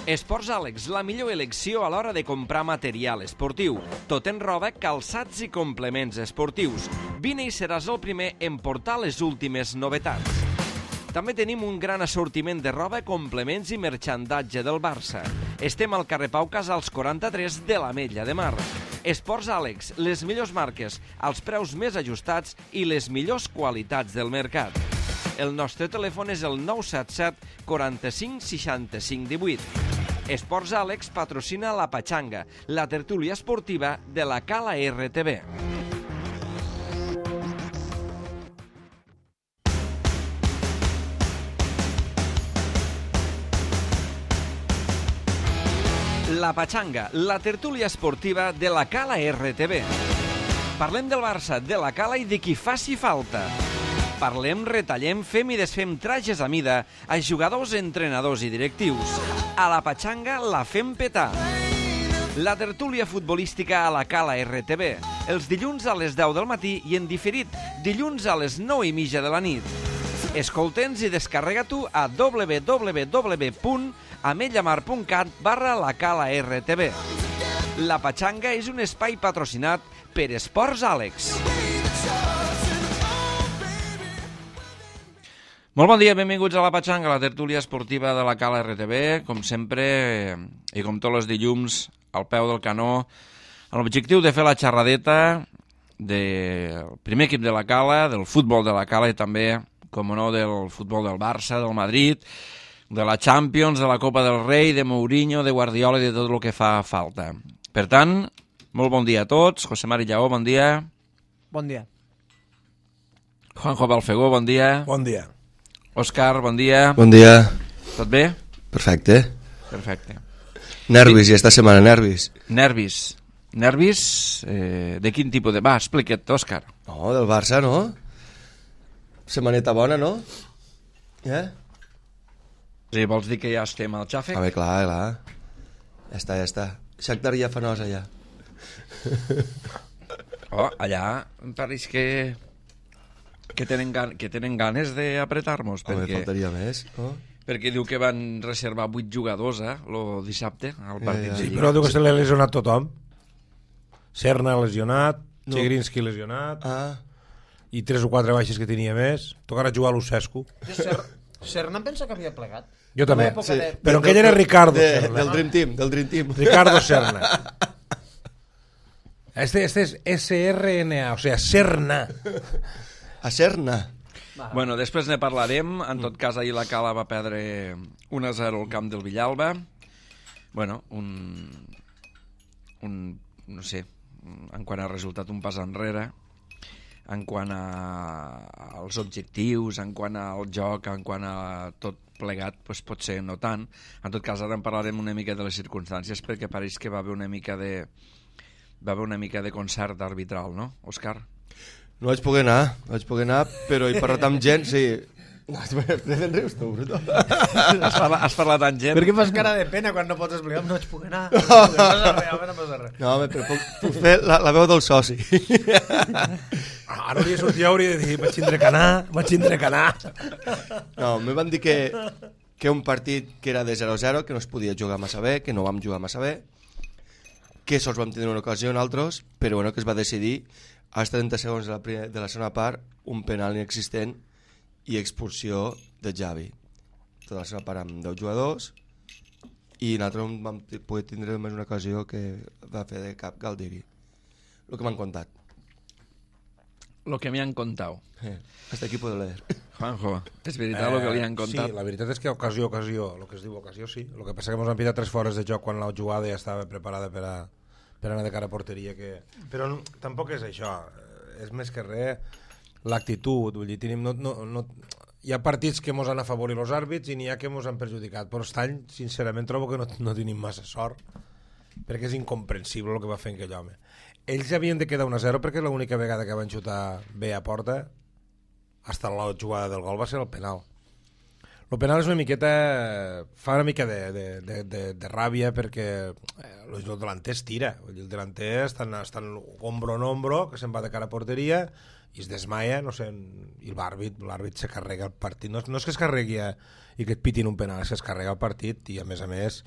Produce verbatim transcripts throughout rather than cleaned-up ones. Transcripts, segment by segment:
Esports Àlex, la millor elecció a l'hora de comprar material esportiu. Tot en roba, calçats i complements esportius. Vine i seràs el primer en portar les últimes novetats. També tenim un gran assortiment de roba, complements i merxandatge del Barça. Estem al carrer Pau Casals quaranta-tres de l'Ametlla de Mar. Esports Àlex, les millors marques, els preus més ajustats i les millors qualitats del mercat. El nostre telèfon és el nou set set quaranta-cinc seixanta-cinc divuit. Esports Àlex patrocina la Patxanga, la tertúlia esportiva de la Cala R T B. La Patxanga, la tertúlia esportiva de la Cala R T B. Parlem del Barça, de la Cala i de qui faci falta. Parlem, retallem, fem i desfem trajes a mida a jugadors, entrenadors i directius. A la Patxanga la fem petar. La tertúlia futbolística a la Cala R T B. Els dilluns a les deu del matí i en diferit dilluns a les nou i mitja de la nit. Escolta'ns i descarrega-t'ho a w w w punt ametllamar punt cat barra la Cala R T B. La Patxanga és un espai patrocinat per Esports Àlex. Molt bon dia, benvinguts a la Patxanga, la tertúlia esportiva de la Cala R T B, com sempre, i com tots els dilluns, al peu del canó, amb l'objectiu de fer la xerradeta del primer equip de la Cala, del futbol de la Cala i també, com no, del futbol del Barça, del Madrid, de la Champions, de la Copa del Rei, de Mourinho, de Guardiola i de tot el que fa falta. Per tant, molt bon dia a tots. José Mari Lleó, bon dia. Bon dia. Juanjo Balfegó, bon dia. Bon dia. Òscar, bon dia. Bon dia. Tot bé? Perfecte. Perfecte. Nervis, i esta setmana nervis. Nervis. Nervis, eh, de quin tipus de... Va, explica't, Òscar. No, del Barça, no? Setmaneta bona, no? Eh? Sí, vols dir que ja estem al xàfec? A veure, clar, clar. Ja està, ja està. Shakhtar ja fa nosa, ja. Oh, allà em pareix que... que tenen, gan que tenen ganes d'apretar-nos. Home, perquè... faltaria més, no? Perquè diu que van reservar vuit jugadors, eh, el dissabte, al partit ja, ja. de Sí, Lliga. però diu que se l'ha lesionat tothom. Serna lesionat, No. Chigrinski lesionat, Ah, i tres o quatre baixes que tenia més. Tocarà jugar a Lucescu. Ser Serna em pensa que havia plegat. Jo també. En l'època sí. de- Però aquell era Ricardo de, Serna. del Dream Team, del Dream Team. Ricardo Serna. Este, este es S R N A, o sea, Serna. A Serna. Bueno, després ne parlarem. En tot cas, ahir la Cala va perdre un a zero al camp del Villalba. Bueno, un... un... no sé, en quant a resultat, un pas enrere. En quant a, als objectius, en quant al joc, en quant a tot plegat, doncs potser no tant. En tot cas, ara en parlarem una mica de les circumstàncies, perquè pareix que va haver una mica de va haver una mica de concert arbitral, no, Òscar? No vaig poder anar, no vaig poder anar, però he parlat amb gent, sí. Prefen rius tu, bruto. Has parlat, has parlat amb gent? Per què fas cara de pena quan no pots explicar? No vaig poder anar. No passa res, home, no passa res. No, home, però puc, puc fer la, la veu del soci. Ara hauria sortit i hauria de dir, vaig tindre que anar, vaig tindre que anar. No, me van dir que, que un partit que era de zero a zero, que no es podia jugar massa bé, que no vam jugar massa bé, que sols vam tenir una ocasió en altres, però bueno, que es va decidir als trenta segons de la, primer, de la segona part un penal inexistent i expulsió de Xavi. Tota la segona part amb deu jugadors i nosaltres vam poder tindre només una ocasió que va fer de cap Galdiri. El que m'han contat. Lo que me han contado. Eh, hasta aquí puedo leer. Juanjo, és veritat eh, el que li han contat? Sí, la veritat és que ocasió, ocasió, el que es diu ocasió, sí. El que passa que ens han pitat tres fores de joc quan la jugada ja estava preparada per a, per anar de cara a porteria. Que... Però no, tampoc és això, és més que res l'actitud. Vull dir, tenim, no, no, no... Hi ha partits que ens han afavorit els àrbits i n'hi ha que ens han perjudicat, però aquest any, sincerament, trobo que no, no tenim massa sort, perquè és incomprensible el que va fer aquell home. Ells havien de quedar un a zero perquè l'única vegada que van xutar bé a porta hasta la jugada del gol va ser el penal. El penal és una miqueta... fa una mica de, de, de, de, de ràbia perquè el delanter es tira. El delanter estan, estan ombro en ombro, que se'n va de cara a porteria, i es desmaia, no sé, i l'àrbit l'àrbit se carrega el partit, no, no és que es carregui a, i que et pitin un penal, és que es carrega el partit i a més a més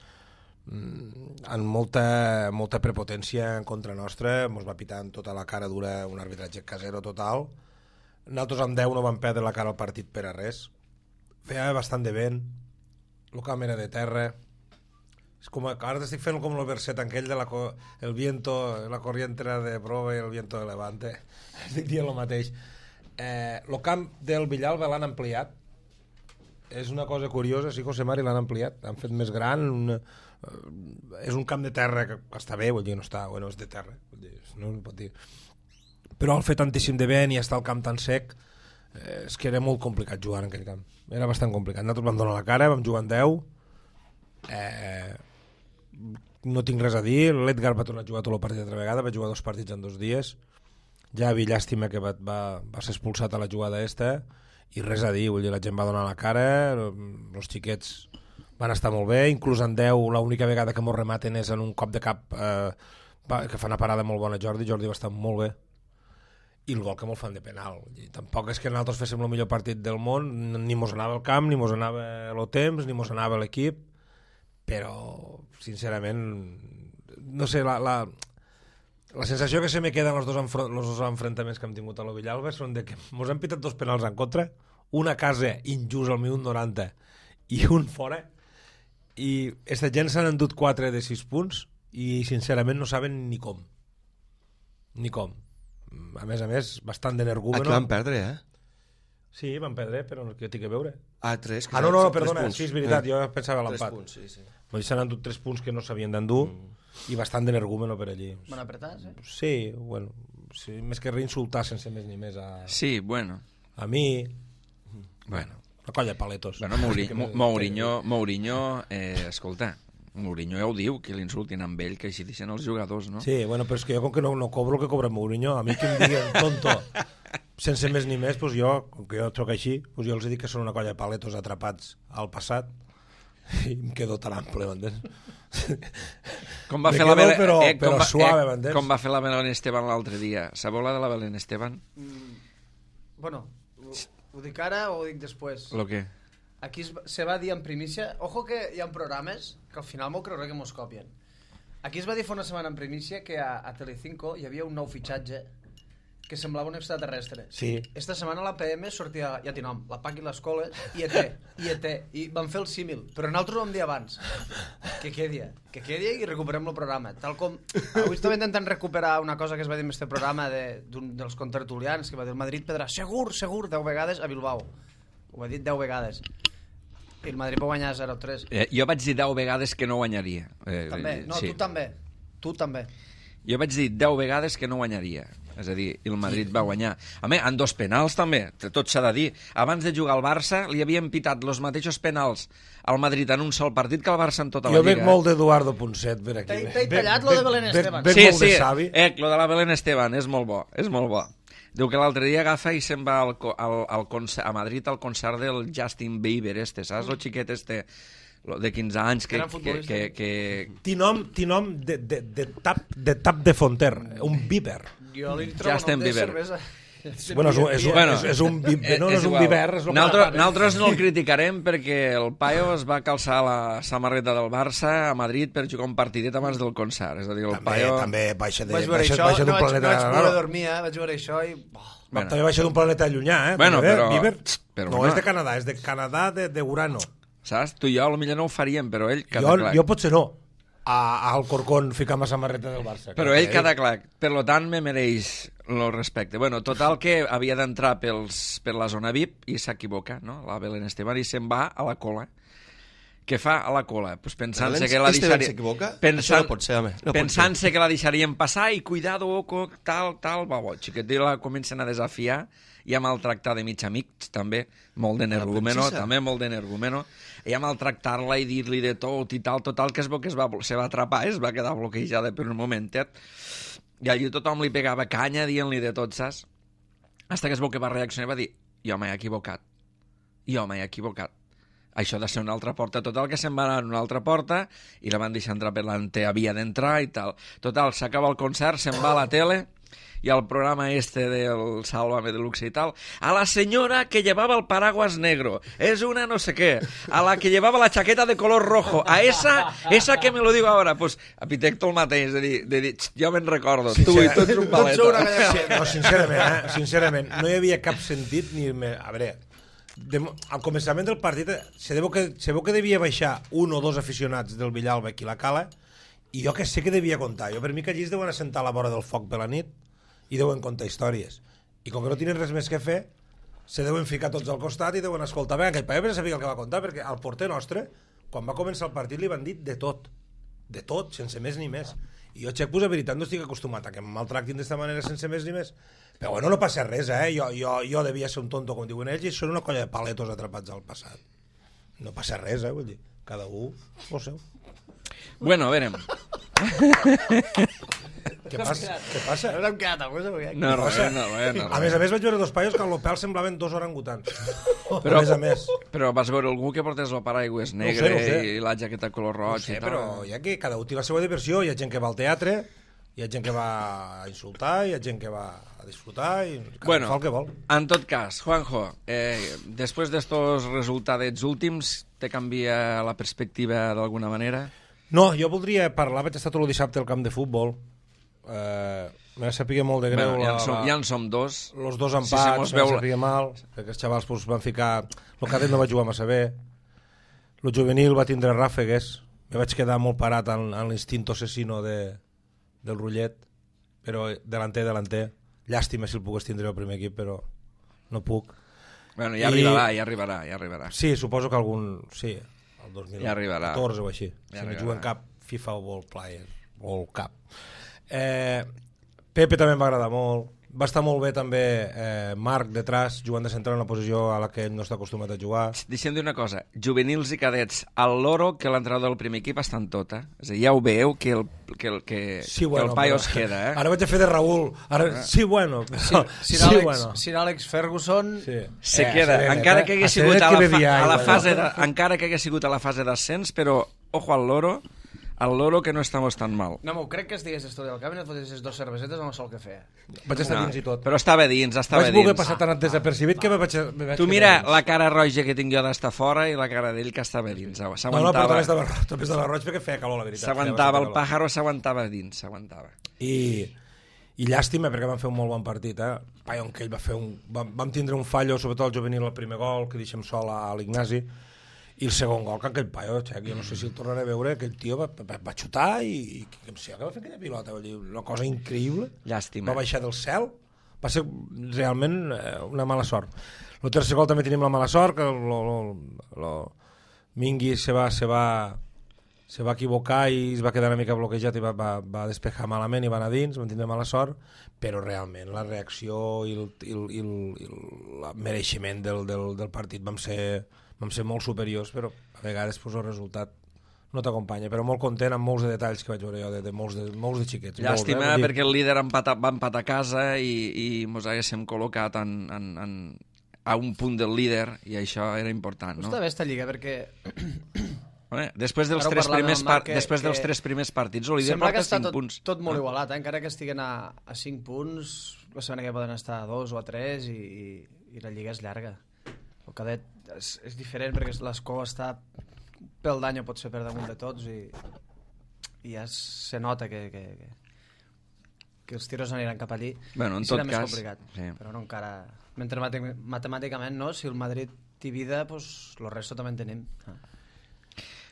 amb molta, molta prepotència en contra nostra, ens va pitar amb tota la cara dura, un arbitratge casero total. Nosaltres amb deu no vam perdre la cara al partit per a res, feia bastant de vent, el camp era de terra. És com, ara t'estic fent com el verset aquell de la, el viento, la corriente de prova i el viento de levante. Estic dient el mateix. Eh, el camp del Villalba l'han ampliat. És una cosa curiosa, sí, José Mari, l'han ampliat. Han fet més gran. Una, eh, és un camp de terra que està bé, vull dir, no està, bueno, és de terra. Vull dir, no es pot dir. Però al fer tantíssim de vent i estar el camp tan sec, eh, és que era molt complicat jugar en aquell camp. Era bastant complicat. Nosaltres vam donar la cara, vam jugar en deu. Eh, no tinc res a dir. L'Edgar va tornar a jugar tot el partit altra vegada, va jugar dos partits en dos dies. Javi, llàstima que va, va, va ser expulsat a la jugada esta, i res a dir, vull dir, la gent va donar la cara, els xiquets van estar molt bé, inclús en deu l'única vegada que mos rematen és en un cop de cap eh, que fa una parada molt bona Jordi, Jordi va estar molt bé, i el gol que mos fan de penal. I tampoc és que nosaltres féssim el millor partit del món, ni mos anava el camp, ni mos anava el temps, ni mos anava l'equip, però sincerament no sé, la, la, la sensació que se me queda en els dos, enfro, los dos enfrontaments que hem tingut a la Villalba són de que mos han pitat dos penals en contra, una a casa injust al minut noranta i un fora, i aquesta gent s'han endut quatre de sis punts i sincerament no saben ni com ni com a més a més bastant d'energúmeno. Aquí van perdre, eh? Sí, van perdre, però no que tinc que veure. Ah, tres. Ah, no, no, no perdona, sí, és veritat, eh. jo pensava l'empat. Tres punts, sí, sí. Vull dir, s'han endut tres punts que no s'havien d'endur mm. i bastant d'energúmeno per allí. Van apretats, eh? Sí, bueno, sí, més que reinsultar sense més ni més a... Sí, bueno. A mi... Bueno. Una colla de paletos. Bueno, Mourinho, Mourinho, Mourinho eh, escolta, Mourinho ja ho diu, que l'insultin amb ell, que així deixen els jugadors, no? Sí, bueno, però és que jo com que no, no cobro el que cobra Mourinho, a mi que em diguen tonto sense més ni més, pues jo, com que jo troc així, pues jo els dic que són una colla de paletos atrapats al passat i em quedo tan ample, m'entens? Com va Me fer la quedo, Belén, però- eh, com però va, suave, eh, m'entens? com va fer la Belén Esteban l'altre dia. Sabeu la de la Belén Esteban? Mm, bueno, ho, ho dic ara o ho dic després? Lo que? Aquí es, se va dir en primícia... Ojo que hi ha programes que al final m'ho creuré que mos copien. Aquí es va dir fa una setmana en primícia que a, a Telecinco hi havia un nou fitxatge que semblava un extraterrestre. Sí. Esta setmana a la P M sortia, ja té nom, la P A C i les coles, I E T, I E T, i van fer el símil. Però nosaltres ho vam dir abans. Que quedi, que quedi i recuperem el programa. Tal com... Avui estava intentant recuperar una cosa que es va dir en este programa de, d'un dels contertulians, que va dir el Madrid perdrà segur, segur, deu vegades a Bilbao. Ho va dir deu vegades. I el Madrid va guanyar zero tres. Eh, jo vaig dir deu vegades que no guanyaria. Eh, També, no, sí. tu també. Tu també. Jo vaig dir deu vegades que no guanyaria. És a dir, el Madrid va guanyar. A més, en dos penals també, tot s'ha de dir. Abans de jugar al Barça li havien pitat els mateixos penals al Madrid en un sol partit que al Barça en tota Jo la Lliga. veig molt d'Eduardo Ponset per aquí. T'he tallat lo de Belén Esteban. Veig Sí, molt sí, de savi. eh, lo de la Belén Esteban és molt bo, és molt bo. Diu que l'altre dia agafa i se'n va al, co- al, al concert, a Madrid al concert del Justin Bieber este, saps? El xiquet este lo de quinze anys que, Gran que, futbolista. que, que... Té nom, té nom de, de, de, tap, de tap de Fonter, un Bieber. Jo li trobo Justin nom de Bieber. cervesa. Bueno, és, un- és, un- Bueno, és, és un Bieber, no, no és, un igual. Bieber, és el que Nosaltres, fa- nosaltres no el criticarem perquè el paio es va calçar la samarreta del Barça a Madrid per jugar un partidet abans del concert. És a dir, el També, paio... també baixa de- Vaig veure baixa- això, baixa no d'un vaig, no planeta... vaig no, poder no. dormir, eh? Vaig veure això i... Oh. Bueno. També baixa d'un planeta llunyà, eh? Bueno, També, però- Bieber, però no no. és de Canadà, és de Canadà de, de Urano. Saps? Tu i jo potser no ho faríem, però ell queda Jo, clar. jo potser no, a, a Alcorcón ficar la samarreta del Barça. Però ell queda clar. Per lo tant, me mereix el respecte. Bueno, total que havia d'entrar pels, per la zona V I P i s'equivoca, no? La Belén Esteban, i se'n va a la cola. Què fa a la cola? Pues pensant-se Belén que la Esteban deixaria... s'equivoca? Pensant... Això no pot ser, home. No pot Pensant-se que la deixarien passar i cuidado, oco, tal, tal, va, bo, xiquet, i la comencen a desafiar i a maltractar de mig amics, també, molt d'energúmeno, princesa. també molt d'energúmeno, i a maltractar-la i dir-li de tot i tal, total, que es veu que es va, se va atrapar, es va quedar bloquejada per un momentet, i allí tothom li pegava canya dient-li de tot, saps? Hasta que es veu que va reaccionar i va dir, jo m'he equivocat, jo m'he equivocat. Això ha de ser una altra porta. Total, que se'n va anar a una altra porta i la van deixar entrar per l'ante, havia d'entrar i tal. Total, s'acaba el concert, se'n va a la tele y al programa este del Sálvame Deluxe y tal, a la señora que llevaba el paraguas negro, es una no sé qué, a la que llevaba la chaqueta de color rojo, a esa, esa que me lo digo ahora, pues a Pitecto el mateix, de dir, de dir jo me'n recordo, sí, tu sí, i tu ets un paleta. Sí, no, sincerament, eh? sincerament, no hi havia cap sentit ni... A veure, de, al començament del partit se veu, que, se veu que devia baixar un o dos aficionats del Villalba aquí a la Cala i jo que sé que devia contar. Jo per mi que allí es deuen assentar a la vora del foc per la nit i deuen contar històries. I com que no tenen res més que fer, se deuen ficar tots al costat i deuen escoltar. Bé, aquell paio no sabia el que va contar, perquè al porter nostre, quan va començar el partit, li van dir de tot. De tot, sense més ni més. I jo, Xec, pues, a veritat, no estic acostumat a que em maltractin d'esta manera sense més ni més. Però bueno, no passa res, eh? Jo, jo, jo devia ser un tonto, com diuen ells, i són una colla de paletos atrapats al passat. No passa res, eh? Vull dir, cada un ho seu. Bueno, verem. Què passa? Què passa? No hem quedat alguna cosa. No, res, no, res, no. A més a més vaig veure dos paios que al lopel semblaven dos orangutans. Però, a més a més. Però vas veure algú que portés el paraigües negre no sé, no sé. i la jaqueta color roig no sé, i tal. Però hi ha que cada un té la seva diversió. Hi ha gent que va al teatre, hi ha gent que va a insultar, hi ha gent que va a disfrutar i cada bueno, fa el que vol. En tot cas, Juanjo, eh, després d'estos resultats últims, te canvia la perspectiva d'alguna manera? No, jo voldria parlar, vaig estar tot el dissabte al camp de futbol. Eh, me sapia molt de greu. Bueno, ja, en som, la, ja en som dos. Los dos empats, sí, me veu... sapia mal, perquè els xavals pues, van ficar... El cadet no va jugar massa bé. El juvenil va tindre ràfegues. Me vaig quedar molt parat en, en l'instint assassino de, del Rullet, però delanter, delanter. Llàstima si el pogués tindre el primer equip, però no puc. Bueno, ja I... arribarà, ja arribarà, ja arribarà. Sí, suposo que algun... Sí, el dos mil catorze ja o així. Ja si no arribarà. juguen cap FIFA World Player, World Cup. Eh, Pepe també em va agradar molt. Va estar molt bé també eh, Marc detrás, jugant de central en una posició a la que ell no està acostumat a jugar. Deixem dir una cosa, juvenils i cadets, el loro que l'entrenador del primer equip està en tot, eh? És a dir, ja ho veu que el, que el, que, sí, que bueno, el paio però... es queda, eh? Ara vaig a fer de Raül. Ara... Sí, bueno. Però... Sir, sí, Alex, bueno. Sir Alex Ferguson... Sí. Se eh, queda, Serenet, encara eh? que hagués sigut a la, fa, a la fase de, encara que hagués sigut a la fase d'ascens, però ojo al loro, al loro que no estamos tan mal. No, m'ho crec que estigués estudiant al camp i no et fotessis dos cervesetes amb el sol que feia. Vaig estar no, dins i tot. Però estava dins, estava vaig dins. Vaig voler passar tan desapercibit que me vaig... Me vaig tu mira la cara roja que tinc jo d'estar fora i la cara d'ell que estava dins. No, no, però també estava, també estava roig perquè feia calor, la veritat. S'aguantava, el pàjaro s'aguantava dins, s'aguantava. I, I llàstima perquè van fer un molt bon partit, eh? Paion, que ell va fer un... Vam, vam tindre un fallo, sobretot el juvenil, el primer gol, que deixem sol a l'Ignasi, i el segon gol, que aquell paio, Xec, jo no sé si el tornaré a veure, aquell tio va, va, va xutar i, i que em sé que va fer aquella pilota, vull dir, una cosa increïble. Llàstima. Va baixar del cel, va ser realment eh, una mala sort. El tercer gol també tenim la mala sort, que lo, lo, lo, Mingui se va, se, va, se va equivocar i es va quedar una mica bloquejat i va, va, va despejar malament i va anar dins, vam tindre mala sort, però realment la reacció i el, i el, i el, i el mereixement del, del, del partit vam ser... vam ser molt superiors, però a vegades pues, el resultat no t'acompanya, però molt content amb molts de detalls que vaig veure jo de, de, molts, de molts de xiquets. Llàstima, molts, eh? perquè el líder empata, va empatar a casa i, i mos haguéssim col·locat en, en, en, a un punt del líder i això era important, no? Està bé esta lliga, perquè... Bé, després dels, tres primers, par que, després dels que tres primers partits, el líder porta cinc tot, punts. Tot molt igualat, eh? Encara que estiguen a, a cinc punts, la setmana que poden estar a dos o a tres i, i, i la lliga és llarga. El cadet és, és diferent perquè l'escó està pel d'any o pot ser per damunt de tots i, i ja se nota que, que, que, que els tiros aniran cap allí bueno, en i serà tot més cas, complicat. Sí. Però no encara... Mentre matemàticament, no? Si el Madrid té vida, pues, el resto també en tenim. Ah.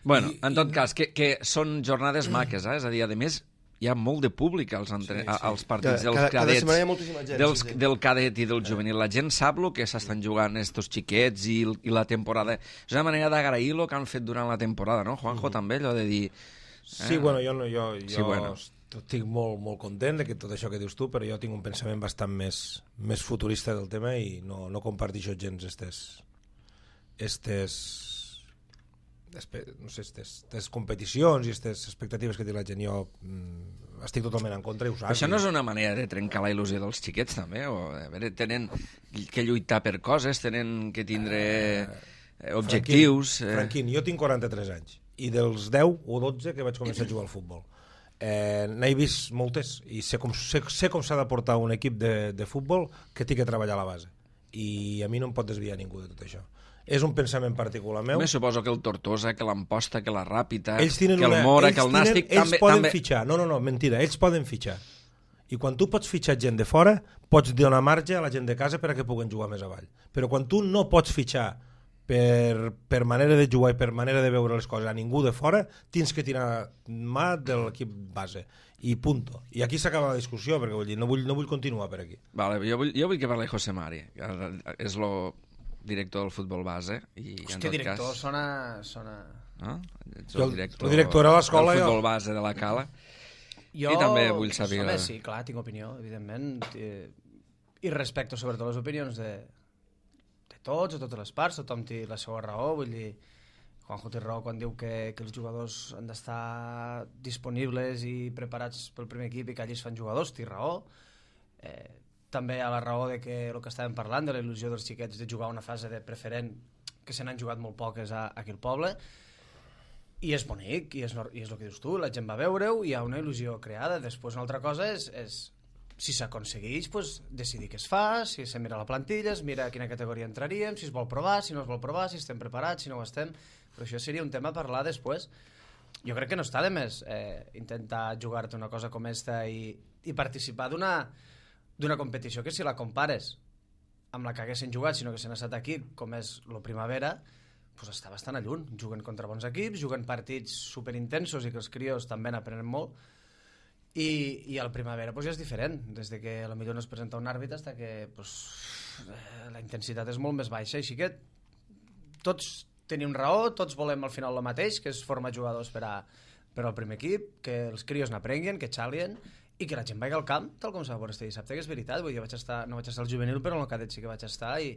Bueno, I, en tot i... cas, que, que són jornades maques, eh? És a dir, a més, hi ha molt de públic als, entre... sí, sí. als partits dels cada, cadets, cada hi ha moltíssima gent, dels, sí, sí. del cadet i del juvenil. La gent sap el que s'estan jugant estos xiquets i, i la temporada. És una manera d'agrair el que han fet durant la temporada, no? Juanjo, mm. també, allò de dir... Eh? Sí, bueno, jo, no, jo, jo sí, bueno. estic molt, molt content de que tot això que dius tu, però jo tinc un pensament bastant més, més futurista del tema i no, no comparteixo gens estes... estes no sé, estes competicions i estes expectatives que té la gent. Jo mm, estic totalment en contra i ho saps. Això no és una manera de trencar la il·lusió dels xiquets, també? O, a veure, tenen que lluitar per coses, tenen que tindre eh, objectius... Franquín, eh... Franquín, jo tinc quaranta-tres anys i dels deu o dotze que vaig començar a jugar al futbol. Eh, n'he vist moltes i sé com, sé, sé com s'ha de portar un equip de, de futbol que té que treballar a la base, i a mi no em pot desviar ningú de tot això. És un pensament particular meu. Me suposo que el Tortosa, que l'Amposta, que la Ràpita, ells que el una, Mora, ells que el tenen, Nàstic... Ells també, poden també... fitxar. No, no, no, mentira. Ells poden fitxar. I quan tu pots fitxar gent de fora, pots donar marge a la gent de casa per a que puguen jugar més avall. Però quan tu no pots fitxar per, per manera de jugar i per manera de veure les coses a ningú de fora, tens que tirar mà de l'equip base. I punto. I aquí s'acaba la discussió, perquè vull dir, no vull, no vull continuar per aquí. Vale, jo, vull, jo vull que parli José Mari, que és el director del futbol base. I, Hòstia, en tot director, cas, sona... sona... no? Ets Jo, el director, el director a l'escola, del jo. futbol base de la Cala. Jo, I també vull saber... Home, sí, clar, tinc opinió, evidentment. I respecto sobretot les opinions de, de tots, de totes les parts, tothom té la seva raó, vull dir, Juanjo té raó quan diu que, que els jugadors han d'estar disponibles i preparats pel primer equip i que allí es fan jugadors, té raó. Eh, també hi ha la raó de que el que estàvem parlant, de la il·lusió dels xiquets de jugar una fase de preferent, que se n'han jugat molt poques a, a aquí al poble, i és bonic, i és, i és el que dius tu, la gent va veure-ho, hi ha una il·lusió creada. Després una altra cosa és, és si s'aconsegueix, pues, decidir què es fa, si se mira la plantilla, es mira a quina categoria entraríem, si es vol provar, si no es vol provar, si estem preparats, si no ho estem, però això seria un tema a parlar després. Jo crec que no està de més eh, intentar jugar-te una cosa com esta i, i participar d'una d'una competició que, si la compares amb la que haguessin jugat, sinó que s'han estat aquí, com és lo Primavera, pues està bastant a lluny. Juguen contra bons equips, juguen partits superintensos i que els crios també n'aprenen molt, i, i al Primavera pues, ja és diferent, des de que potser no es presenta un àrbitre fins que pues, eh, la intensitat és molt més baixa, així que tots tenim raó, tots volem al final el mateix, que és formar jugadors per, a, per al primer equip, que els crios n'aprenguin, que xalien, i que la gent vagi al camp, tal com s'ha veure este dissabte, que és veritat. Vull dir, jo vaig estar, no vaig estar al juvenil, però en el cadet sí que vaig estar, i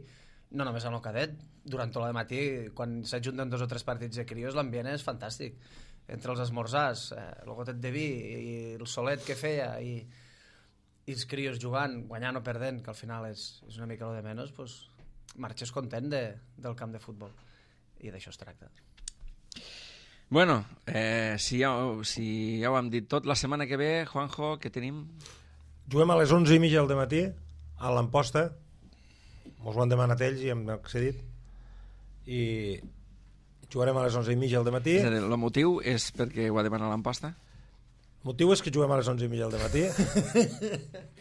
no només en el cadet, durant tot el matí, quan s'ajunten dos o tres partits de crios, l'ambient és fantàstic. Entre els esmorzars, eh, el gotet de vi i el solet que feia, i, i els crios jugant, guanyant o perdent, que al final és, és una mica lo de menys, pues, marxes content de, del camp de futbol. I d'això es tracta. Bueno, eh, si, ja, si ja ho hem dit tot, la setmana que ve, Juanjo, què tenim? Juguem a les onze i mitja del matí a l'Amposta. Mos ho han demanat ells i hem accedit. I jugarem a les onze i mitja del matí. És a dir, el motiu és perquè ho ha demanat l'Amposta? El motiu és que juguem a les onze i mitja del matí.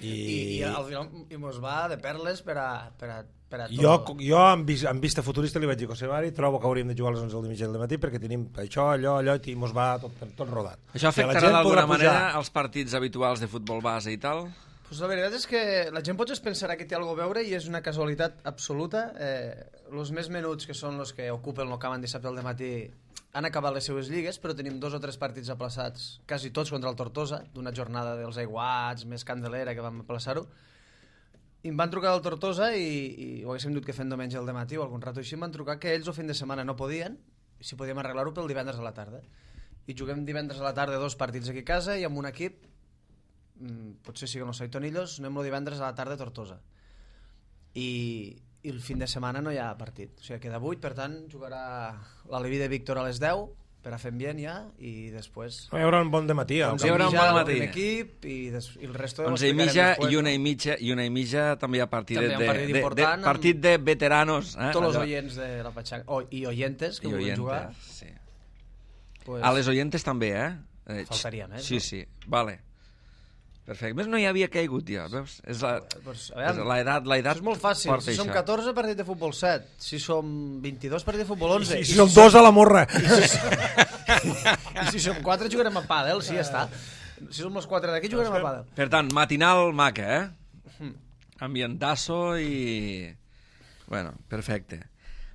I, I, i al final i mos va de perles per a, per a, per a tot. Jo, jo amb, vis, amb vista futurista li vaig dir a José Mari, trobo que hauríem de jugar a les onze i mitja del matí perquè tenim això, allò, allò, i mos va tot, tot rodat. Això afectarà d'alguna manera els partits habituals de futbol base i tal? Pues la veritat és que la gent potser es pensarà que té alguna cosa a veure i és una casualitat absoluta. Eh, els més menuts, que són els que ocupen el camp en dissabte al matí, han acabat les seues lligues, però tenim dos o tres partits aplaçats, quasi tots contra el Tortosa, d'una jornada dels aiguats, més candelera, que vam aplaçar-ho. I em van trucar del Tortosa i, i ho haguéssim dut que fent diumenge al matí o algun rato així, em van trucar que ells el fin de setmana no podien, i si podíem arreglar-ho pel divendres a la tarda. I juguem divendres a la tarda dos partits aquí a casa i amb un equip, potser sí que no soy Tonillos, anem el divendres a la tarda a Tortosa. I, i el fin de setmana no hi ha partit. O sigui, queda vuit, per tant, jugarà l'Aleví de Víctor a les deu, per a fer ambient ja, i després... Hi haurà un bon dematí. Hi haurà un bon matí. Equip, i, des, i el resto onze i mitja i una i mitja, i una i mitja també hi ha partit, també hi ha un partit de, de, de, partit de veteranos. Eh? Tots els oients de la Pachanga, oh, i oyentes que volen jugar. Sí. Pues, a les oyentes també, eh? eh faltaria més, sí, no? Sí, vale. Perfecte. Més no hi havia caigut ja, veus? És la, pues, és la edat, la edat és molt fàcil. Si som catorze, partit de futbol set. Si som vint-i-dos, partit de futbol onze. I si, I si som dos a la morra. I si, I si som quatre, jugarem a pàdel, sí, ja està. Si som els quatre d'aquí, jugarem a pàdel. Per tant, matinal maca, eh? Ambientasso i... Bueno, perfecte.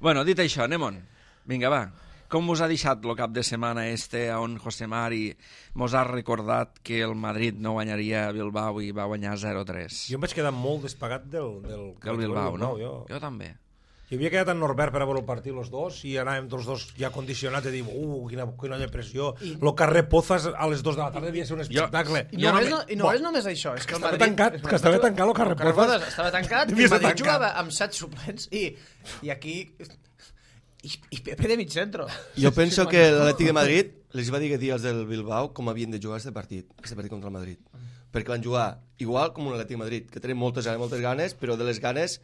Bueno, dit això, anem-on. Vinga, va. Com us ha deixat el cap de setmana este on José Mari mos ha recordat que el Madrid no guanyaria a Bilbao i va guanyar zero tres? Jo em vaig quedar molt despagat del... Del, del Bilbao, no? Jo... jo també. Jo havia quedat en Norbert per a veure el partit els dos i anàvem tots dos ja condicionats i dir, uh, quina, quina depressió. I... El carrer Pozas a les dues de la tarda devia ser un espectacle. Jo... I no, és, no, i no és només això. És que, que estava Madrid... tancat, que estava tancat el carrer Pozas. Estava tancat i el Madrid jugava amb set suplents i, i aquí... I, i Pepe de mig centro. Jo penso que l'Atlètic de Madrid les va dir que dir als del Bilbao com havien de jugar aquest partit, aquest partit contra el Madrid. Perquè van jugar igual com un Atlètic Madrid, que tenen moltes ganes, moltes ganes, però de les ganes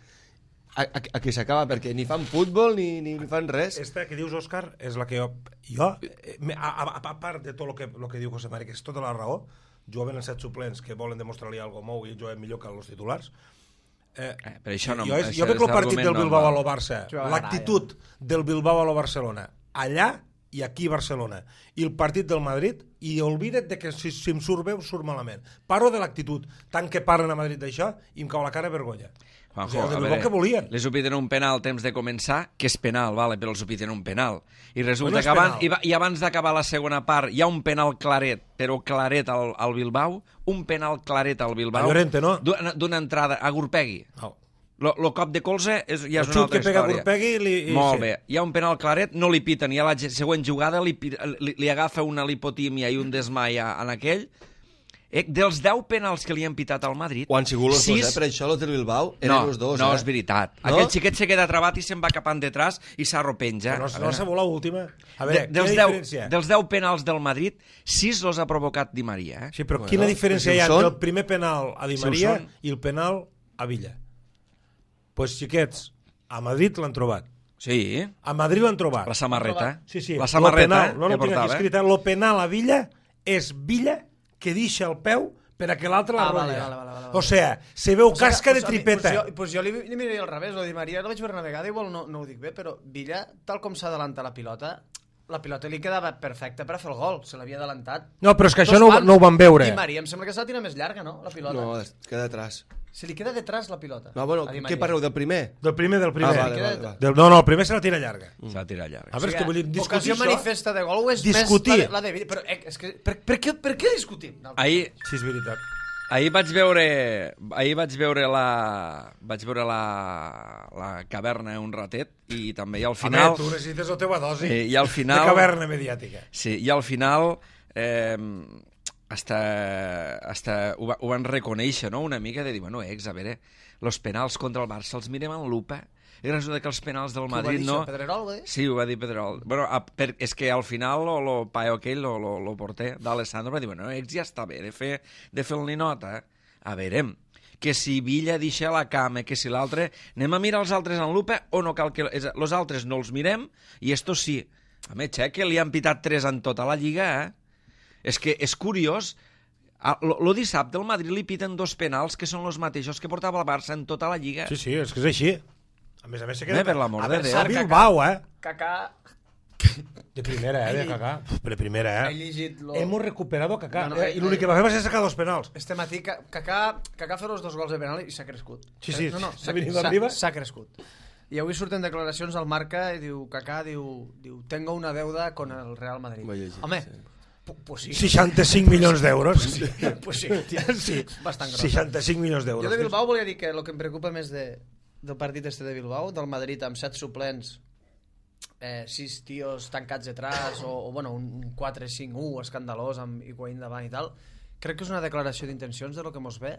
a, a, a què s'acaba, perquè ni fan futbol ni, ni fan res. Esta que dius, Òscar, és la que jo... Jo, eh, a, a, a part de tot el que, lo que diu José Mari, que és tota la raó, jugaven els set suplents que volen demostrar-li alguna cosa i jugaven millor que els titulars. Eh, eh, per això no, jo, és, això jo veig el partit del no Bilbao va. a lo Barça, l'actitud del Bilbao a lo Barcelona, allà i aquí a Barcelona, i el partit del Madrid, i oblida't de que si, si em surt bé, surt malament. Parlo de l'actitud, tant que parlen a Madrid d'això, i em cau la cara vergonya. Juanjo, O sigui, el a Bilbao veure, que volien. les ho piten un penal al temps de començar, que és penal, vale, però els ho piten un penal. I resulta Bueno, és que abans, penal. i, va- i abans d'acabar la segona part hi ha un penal claret, però claret al, al Bilbao, un penal claret al Bilbao. A Llorente, no? D'una d'una entrada a Gurpegui. No. Lo, lo cop de colze és, ja és El una xut altra que pega història. Gurpegui li, i, Molt sí. bé. Hi ha un penal claret, no li piten, i a la ge- següent jugada li, pi- li, li agafa una lipotímia i un desmai a- en aquell. Eh, dels deu penals que li han pitat al Madrid... O han sigut els sis- dos, eh? Per això els del Bilbao eren no, els dos, no, eh? és veritat. No? Aquell xiquet se queda trabat i se'n va cap endetrás i s'arropenja. No, A no veure, s'ha volat l'última. A de, veure, dels, quina deu, diferència? dels deu penals del Madrid, sis los ha provocat Di Maria. Eh? Sí, però Bueno, quina diferència si ho hi ha són- entre el primer penal a Di Si ho Maria són. i el penal a Villa? Pues xiquets, a Madrid l'han trobat. Sí, A Madrid l'han trobat. la samarreta. Sí, sí. La samarreta Lo penal, no, que no ho tinc aquí portava. escrit. eh? Lo penal a Villa és Villa que deixa el peu per a que l'altre la Ah, vale, rotlla. vale, vale, vale, vale. O sea, se veu O sigui, casca de pues a mi- tripeta. Pues jo, pues jo li, li miraria al revés, lo Di Maria el vaig veure una vegada, igual no, no ho dic bé, però Villa, tal com s'adalanta la pilota, la pilota li quedava perfecta per a fer el gol, se l'havia adelantat. No, però és que Dos això no, ho- pals. no ho van veure. Di Maria em sembla que se la tira més llarga, no?, la pilota. No, es queda atrás. Se li queda detrás la pilota. No, bueno, a Di què Maria. parleu del primer? Del primer, del primer. Ah, vale, queda- vale, vale. Del, no, no, el primer se la tira llarga. S'ha de tirar llarg. A veure, és que vull dir, discutir ocasió això... manifesta de gol o és Discutir. més la de, la de Villa? Però eh, és que, per, per, què, per què discutim? Ahir, Sí, és veritat. ahir vaig veure ahir vaig veure la vaig veure la, la caverna un ratet i també i al final Home, tu necessites la teva dosi eh, i al final de caverna mediàtica. sí, i al final eh, hasta, hasta ho, va, ho van reconèixer, no? Una mica de dir, bueno, ex, a veure, los penals contra el Barça els mirem en lupa i resulta que els penals del Madrid no... Pedrerol, ho va dir? Sí, ho va dir Pedrol. Bueno, a, per, és que al final lo, lo paio aquell, lo, lo, lo porter d'Alessandro, va dir, bueno, ex ja està bé de fer, de fer el ninot, eh? A veure, que si Villa deixa la cama, que si l'altre... Anem a mirar els altres en lupa o no cal que... Els altres no els mirem i estos sí. A més, eh, que li han pitat tres en tota la Lliga, eh? És que és curiós... El dissabte al Madrid li piten dos penals que són els mateixos que portava el Barça en tota la Lliga. Sí, sí, és que és així. A més a més se queda... Bé, per l'amor A de veure, Déu. a Bilbao, eh? Kaká... De primera, eh, de Kaká. Uf, de primera, He eh? llegit lo... Hemos recuperado a Kaká. No, no, eh, I l'únic que va fer va ser sacar dos penals. Este matí, Ka- Kaká, Kaká fer els dos gols de penal i s'ha crescut. Sí, sí, no, no, s'ha s'ha venit s'ha- arriba. S'ha crescut. I avui surten declaracions al Marca i diu, Kaká diu, diu tengo una deuda con el Real Madrid. Ho he llegit, Home, sí. pu- pues sí. seixanta-cinc milions d'euros. Pues sí, tia, Sí, bastant gros. seixanta-cinc milions d'euros. Jo de Bilbao volia dir que el que em preocupa més de, del partit este de Bilbao, del Madrid amb set suplents, eh, sis tios tancats detrás, o, o bueno, un quatre cinc u escandalós amb Higuaín davant i tal, crec que és una declaració d'intencions de lo que mos ve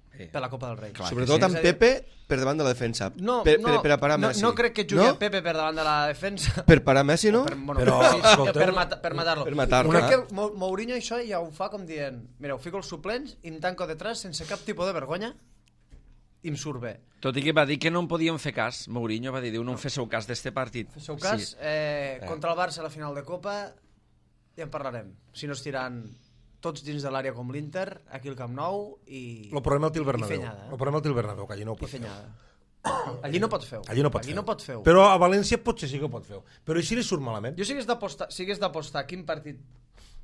Sí. per la Copa del Rei. Clar. Sobretot sí. amb És a dir, Pepe per davant de la defensa. No, per, no, per, per a parar no, Messi. no crec que jugui no? no? Pepe per davant de la defensa. Per parar Messi, no? Per, bueno, Però, sí, sí, escolteu- per, mata, per matar-lo. Per matar-lo, Crec eh? que Mou- Mourinho això ja ho fa com dient, mira, ho fico els suplents i em tanco detrás sense cap tipus de vergonya i em surt bé. Tot i que va dir que no en podíem fer cas. Mourinho va dir, diu, no en féssiu cas d'este partit. Feu cas, Sí. eh, contra el Barça a la final de Copa ja en parlarem. Si no es tiran tots dins de l'àrea com l'Inter, aquí al Camp Nou i... Lo problema el té el i Bernabéu. fenyada, eh? Lo problema el té el Bernabéu, que allí no ho I pot fer. fenyada. Allí no pot fer. Allí no pot allí fer. no pot fer. Però a València potser sí que ho pot fer. Però així li surt malament. Jo si hagués d'apostar si hagués d'apostar quin partit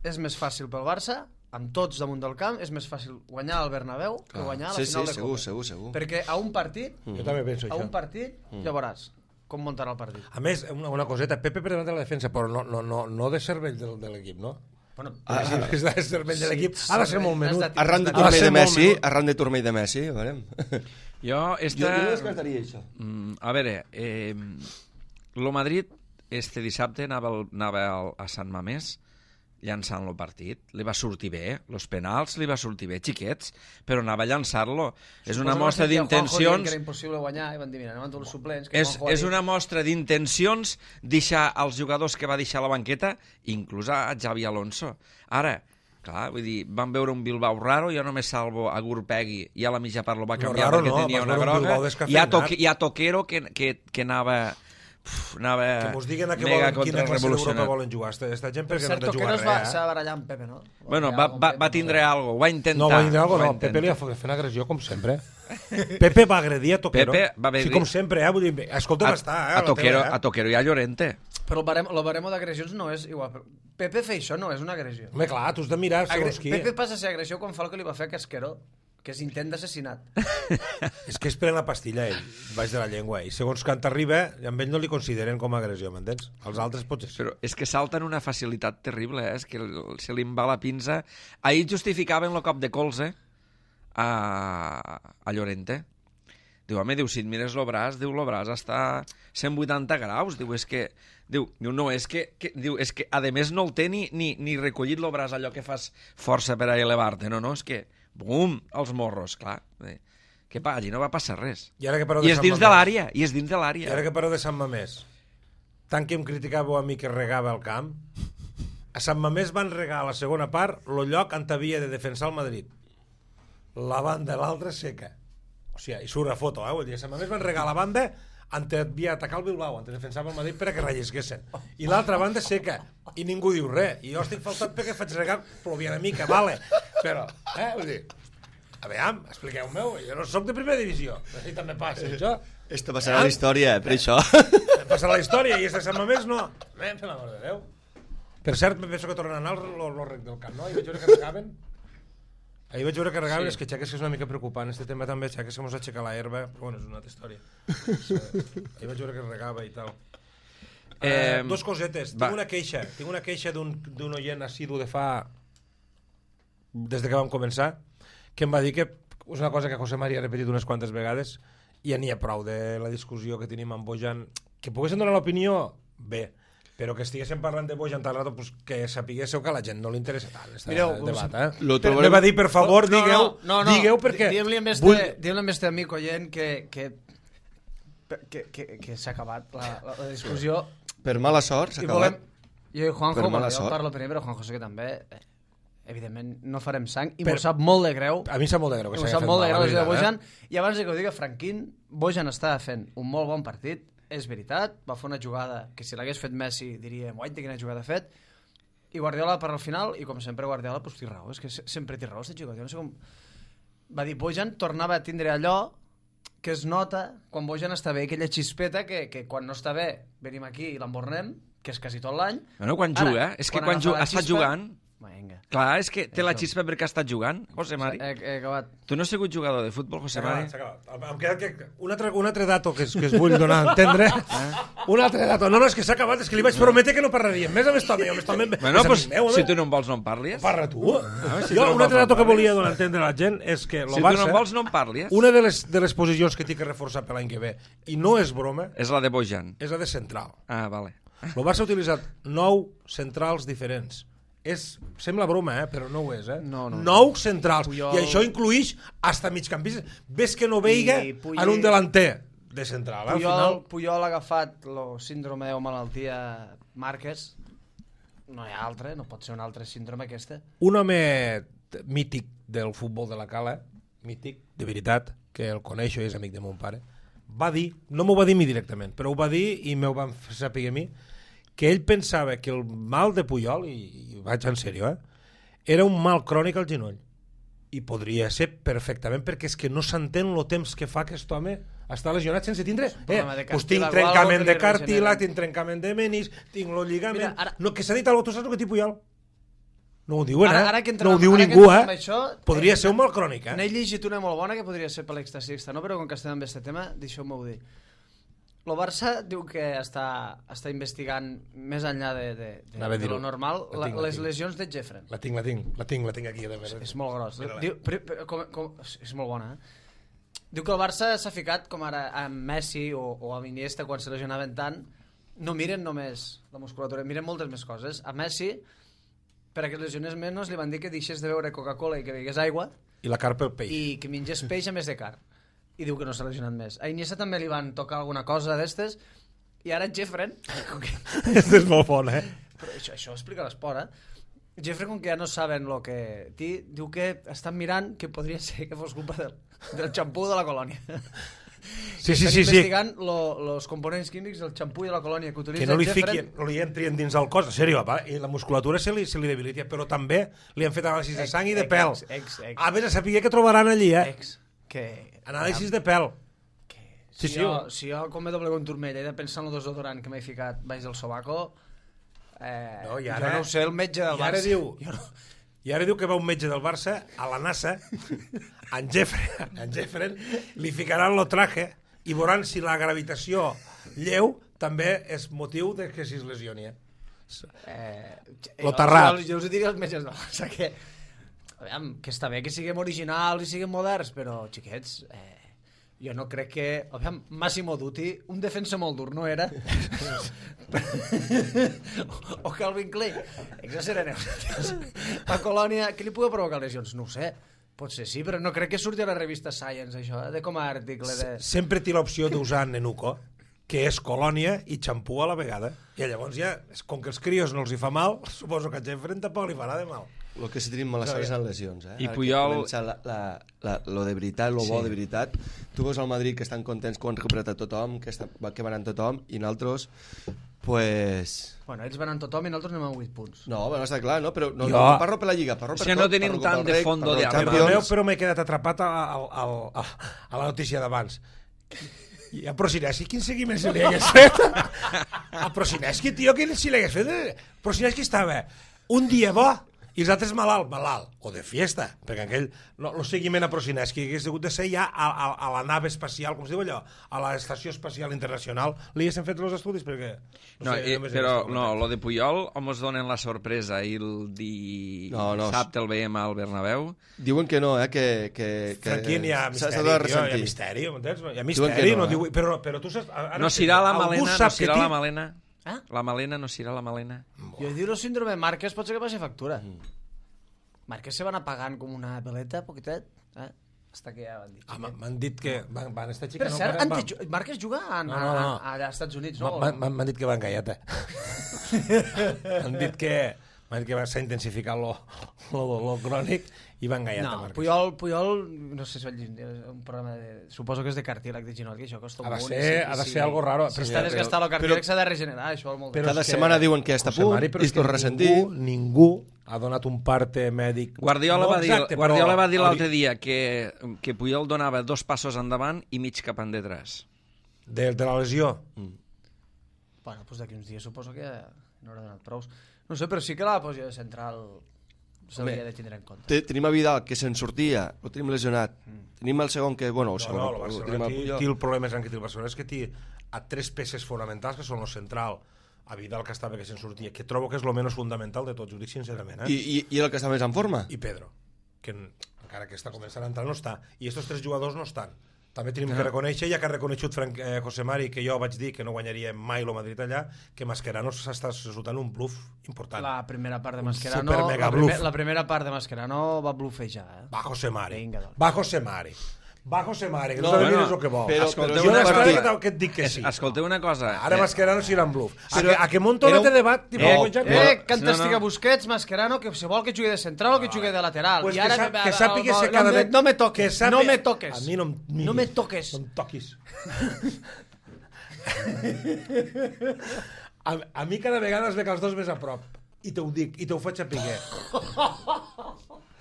és més fàcil pel Barça, amb tots damunt del camp, és més fàcil guanyar al Bernabéu que guanyar a la sí, final sí, de segur, Copa. segur, segur. Perquè a un partit, Jo també penso a això. un partit, ja veuràs com muntarà el partit. A més, una, una coseta, Pepe per davant de la defensa, però no, no, no, no de cervell de, de l'equip, no? Bueno, Ah, si és de cervell de l'equip, ha de ser molt Has menut. de- Arran de Ha de turmell ser de molt Messi, menut. arran de turmell de Messi, a veure. Jo, esta... Jo, jo descartaria això. Mm, a veure, eh, lo Madrid este dissabte anava, al, anava al, a Sant Mamés llançant el partit. Li va sortir bé, els penals li va sortir bé, xiquets, però anava a llançar-lo. És una mostra d'intencions... Que era impossible guanyar, i van dir, mira, anem amb tots els suplents. És, és una mostra d'intencions deixar els jugadors que va deixar a la banqueta, inclús a Xavi Alonso. Ara, clar, vull dir, van veure un Bilbao raro, jo només salvo a Gurpegui, i a la mitja part lo va canviar no, perquè no, tenia una groga, i a, toque, i a Toquero que, que, que anava... Uf, anava que mos diguen a què mega volen, quina classe d'Europa volen jugar. Esta gent perquè cert, no té jugar res, va, eh? s'ha barallar amb Pepe, no? Bueno, va, va, va tindre algo, va intentar. No, va tindre algo, no. Pepe li ha fet una agressió, com sempre. Pepe va agredir a Toquero. Pepe va agredir... Sí, com sempre, eh? Vull dir, escolta, va estar, eh? A, a, Toquero, teva, eh? a Toquero i a Llorente. Però el baremo, el baremo d'agressions no és igual. Pepe fer això no és una agressió. Home, clar, tu has de mirar segons qui. Pepe passa a ser agressió quan fa el que li va fer a Casquero, que és intent d'assassinat. És que es pren la pastilla ell, baix de la llengua, i segons quan t'arriba, amb ell no li consideren com a agressió, m'entens? Els altres potser sí. Però és que salten una facilitat terrible, eh? És que se li va la pinça. Ahir justificaven el cop de colze a, a Llorente. Diu, home, diu, si et mires el braç, diu, el braç està cent vuitanta graus. Diu, és que... Diu, diu no, és que, que, diu, és que a més no el té ni, ni, ni recollit el braç, allò que fas força per a elevar-te. No, no, és que... Bum, els morros, clar. Que pa, allí no va passar res. I, ara que I és dins de l'àrea, i és dins de l'àrea. I ara que pareu de Sant Mamés, tant que em criticàveu a mi que regava el camp, a Sant Mamés van regar a la segona part el lloc on havia de defensar el Madrid. La banda, l'altra seca. O sigui, i surt la foto, eh? Vull dir, a Sant Mamés van regar la banda on havia atacat el Bilbao, on defensava el Madrid per a que rellisquessin. I l'altra banda seca. I ningú diu res. I jo estic faltat perquè faig regar, plovia una mica, vale. Però, eh, vull dir, a veure, expliqueu-me, jo no soc de primera divisió. I també passa, això. Esto passarà a la història, per això. Passarà a la història, i este Sant Mamés no. Eh, per l'amor de Déu. Per cert, me penso que tornen a anar al rec del camp, no? I vaig veure que regaven. Ahir vaig veure que regaven, és que xeques que és una mica preocupant, este tema també, xeques que mos aixeca la herba, però bueno, és una altra història. Ahir vaig veure que regava i tal. Eh, dos cosetes, tinc una queixa tinc una queixa d'un oient assidu de fa des de que vam començar, que em va dir que és una cosa que José María ha repetit unes quantes vegades i ja n'hi ha prou de la discussió que tenim amb Bojan, que poguessin donar l'opinió bé, però que estiguéssim parlant de Bojan tal rato, pues, que sapiguéssiu que a la gent no li interessa tant este Mireu, debat, eh? Lo Però me va dir, per favor, no, digueu, no, no, no. digueu perquè diguem-li amb este, vull... diguem amb este amic oient que, que, que, que, que s'ha acabat la, la, la discussió. Per mala sort s'ha acabat. Jo i Juanjo, Per mala jo sort. parlo primer, però Juanjo sé que també, eh, evidentment, no farem sang, i Per- m'ho sap molt de greu. A mi em sap molt de greu que M'ho s'hagi sap fet molt de mal, greu la això de veritat, Bojan. eh? I abans de que ho digui Franquín, Bojan està fent un molt bon partit, és veritat, va fer una jugada que si l'hagués fet Messi diríem, guai, quina jugada ha fet, i Guardiola per al final, i com sempre Guardiola, pues, té raó, és que se- sempre té raó, aquest jugador, jo no sé com... Va dir, Bojan tornava a tindre allò que es nota quan Bojan està bé, aquella xispeta que, que quan no està bé venim aquí i l'embornem, que és quasi tot l'any. Bueno, quan Ara, juga, és que quan quan agafa juga, la ha estat xispa- jugant... Vinga. Clar, és que té la Això. xispa perquè ha estat jugant, José Mari. He, he acabat. Tu no has sigut jugador de futbol, José S'ha Mari? acabat, s'ha acabat. Em queda que... Un altre, un altre dato que, es, que es vull donar a entendre. Un altre dato. No, no, és que s'ha acabat. És que li vaig prometre que no parlaríem més amb Estome. Amb Estome Bueno, és pues, amic meu, si home. tu no en vols, no en parlis. Parla tu. Ah, si tu Jo, no un vols, altre no dato que parlis. volia donar a entendre a la gent és que el Si tu no Barça... en vols, no en parlis. Una de les, de les posicions que té que reforçar per l'any que ve, i no és broma, És la de Bojan. és la de central. Ah, vale. El Barça ha utilitzat nou centrals diferents. És, sembla broma, eh? Però no ho és, eh? No, no. Nou centrals. Puyol- I això incluïx hasta migcampistes. Ves que no veiga I Puyol- en un delanter de central. Eh? Al Puyol, final, Puyol ha agafat el síndrome o malaltia Márquez. No hi ha altre, no pot ser un altre síndrome aquesta. un home mític del futbol de la Cala, mític, de veritat, que el coneixo i és amic de mon pare, va dir, no m'ho va dir a mi directament, però ho va dir i m'ho van fer saber a mi, que ell pensava que el mal de Puyol, i, i vaig en sèrio, eh, era un mal crònic al genoll. I podria ser perfectament, perquè és que no s'entén el temps que fa aquest home està lesionat sense tindre... Eh, problema de pues tinc cartílag o trencament algo que de li cartílag, regenera. tinc trencament de menis, tinc el lligament... Mira, ara- No, que s'ha dit alguna cosa, tu saps el que té Puyol? No ho diuen, Ara- eh? ara que entrem- no ho diu ara que ningú, entrem eh? amb això, Podria eh, ser un mal crònic, eh? N'he llegit una molt bona que podria ser per l'extasi no? Però com que estem amb aquest tema, deixeu-m'ho dir. El Barça diu que està, està investigant més enllà de, de, de, Anava a de dir-ho. lo normal La la, tinc, la les tinc. lesions de Jeffren. La tinc, la tinc, la tinc, la tinc aquí. De És, és molt gros. Mira-la. Diu, però, però, com, com, és molt bona, eh? Diu que el Barça s'ha ficat, com ara amb Messi o, o amb Iniesta, quan se lesionaven tant, no miren només la musculatura, miren moltes més coses. A Messi per a que es lesionés menys li van dir que deixés de beure Coca-Cola i que begués aigua I la carn pel peix. i que mengés peix a més de carn. I diu que no s'ha lesionat més. A Iniesta també li van tocar alguna cosa d'estes i ara Jeffren... Este és molt bon, eh? Però això, això ho explica l'esport, eh? Jeffrey, com que ja no saben el que té, diu que estan mirant que podria ser que fos culpa del, del xampú de la colònia. Sí, sí, estan sí, sí. investigant els components químics del xampú i de la colònia que utilitza Que no li Jeffrey. fiquin, no li entrin dins el cos. En sèrio, va, i la musculatura se li, se li debilita, però també li han fet anàlisis de sang i de pèl. Ex, ex, ex, A veure, sapigué que trobaran allí, eh? ex, que... Anàlisis de pèl. Si, Sí, sí. jo, si jo, com me doblego un turmell, he de pensar en el desodorant que m'he ficat baix del sobaco, eh, No, i jo ara- no ho sé, el metge del i ara Barça. diu- Jo no... I ara diu que va un metge del Barça a la NASA, en Jeffrey, en Jeffrey li ficaran lo traje i veuran si la gravitació lleu també és motiu de que si es lesioni. Eh? Eh, Lo terrat. Jo, jo us ho diria als metges del Barça, que, aviam, que està bé que siguem originals i siguem moderns, però, xiquets, eh, jo no crec que... Aviam, Massimo Dutti, un defensa molt dur, no era? o Calvin Klein. Exagereneu. La colònia, què li pugui provocar lesions? No ho sé. Potser sí, però no crec que surti a la revista Science, això, eh? De com a article de... Sempre té l'opció d'usar Nenuco, que és colònia i xampú a la vegada. I llavors ja, com que els crios no els hi fa mal, suposo que a Jeffrey tampoc li farà de mal. El que sí tenim mala sort és en lesions, eh? I Ara Puyol- que comença la, la, la, lo de veritat, lo bo Sí. de veritat. Tu veus al Madrid que estan contents que ho han recuperat a tothom, que, està, que van amb tothom, i nosaltres, pues... Bueno, ells van amb tothom i nosaltres anem amb vuit punts. No, bueno, està clar, no? Però no, Jo- no parlo per la Lliga, parlo per És que tot. no tenim parlo tant pel de rec, fondo parlo de del arbre. Perdoneu, Champions. però m'he quedat atrapat a, a, a, a, a la notícia d'abans. I a Procineschi, quin seguiment se li hagués fet? A Procineschi, tio, quin si li hagués fet? Procineschi estava un dia bo i els altres malalt, malalt, o de fiesta, perquè aquell, no, el seguiment a Procineschi hagués hagut de ser ja a, a, a la nave espacial, com es diu allò, a l'Estació Espacial Internacional, li haguessin fet els estudis, perquè... No, sé, eh, només he però vist el no, comentat. lo de Puyol hom ens donen la sorpresa i el di... No, no. dissabte el veiem al Bernabéu. Diuen que no, eh? Que, que, que Tranquil, hi ha s'ha- s'ha misteri, de tio, hi ha ressentir. misteri, m'entens? Hi ha Diuen misteri, que no, no, eh? diu, però, però tu saps... Ara No serà la algú Malena, no sap que serà la ti- Malena. Ah? La Malena no serà la Malena. Jo diu el síndrome Márquez pot ser que passi factura. Márquez se van apagant com una peleta, poquitet. Eh? Hasta que ja van dir. Ah, m'han- m'han dit que van, van estar Per xicant... cert, van, ante, ju- Márquez juga a, No, no, no. a, a, a Estats Units, no? van, van, m'han dit que van galleta. M'han dit que m'han dit que s'ha intensificat lo, lo, lo crònic i van galleta. No, Marcos. Puyol, Puyol, no sé si vaig dir, un programa de... Suposo que és de cartílag de ginot, que això costa un Ha de munt. ser, i sí, ha de sí. ser algo raro. Si Però- està però- desgastat el però- cartílag s'ha de regenerar, això vol molt però bé. Cada és que- setmana diuen que ja està a José punt Mari, però i és es que torna a ressentir. Ningú, ningú ha donat un parte mèdic. Guardiola, No va dir, exacte, però Guardiola va dir hauria- l'altre dia que, que Puyol donava dos passos endavant i mig cap endetrás. De, de la lesió. Bueno, doncs d'aquí uns dies suposo que no haurà donat prous. No sé, però sí que la posició central s'hauria Home, de tindre en compte. Te, tenim a Vidal, que se'n sortia, ho tenim lesionat. Tenim el segon que, bueno, el No, segon, no, el el Barcelona tenim el té, Puyol. té el problema més gran que té el Barcelona és que té a tres peces fonamentals que són el central, a Vidal que estava que se'n sortia, que trobo que és el menys fundamental de tots, ho dic sincerament, eh? I, i, I el que està més en forma? I Pedro, que en- encara que està començant a entrar no està, i estos tres jugadors no estan. També tenim que reconèixer, ja que ha reconegut Frank, eh, José Mari, que jo vaig dir que no guanyaria mai el Madrid allà, que Mascherano s'està resultant un bluff important. La primera part de Un Mascherano, super mega la, primer, bluff. la primera part de Mascherano va blufejar, eh? Va José Mari, Vinga, doncs. va José Mari, va José Mari, que No, no, no bueno, és el que vol. però- Escolteu, però jo una d'estada partida- que et dic que sí. Escolteu una cosa. Ara eh, Mascherano serà en bluff. A, Però que, a que monto era un un- debat... Tipo, Eh, con Jack- Eh, No, que no, estiga no. Busquets, Mascherano, que si vol que jugui de central o que jugui de lateral. Pues I que, ara sap, que, que sàpiga no, que cada no, vegada... no me toques, que sàpiga- no me toques. A mi no, em miris, No me toques. No em toquis. a, a mi cada vegada es ve que els dos més a prop. I te ho dic, i te ho faig saber.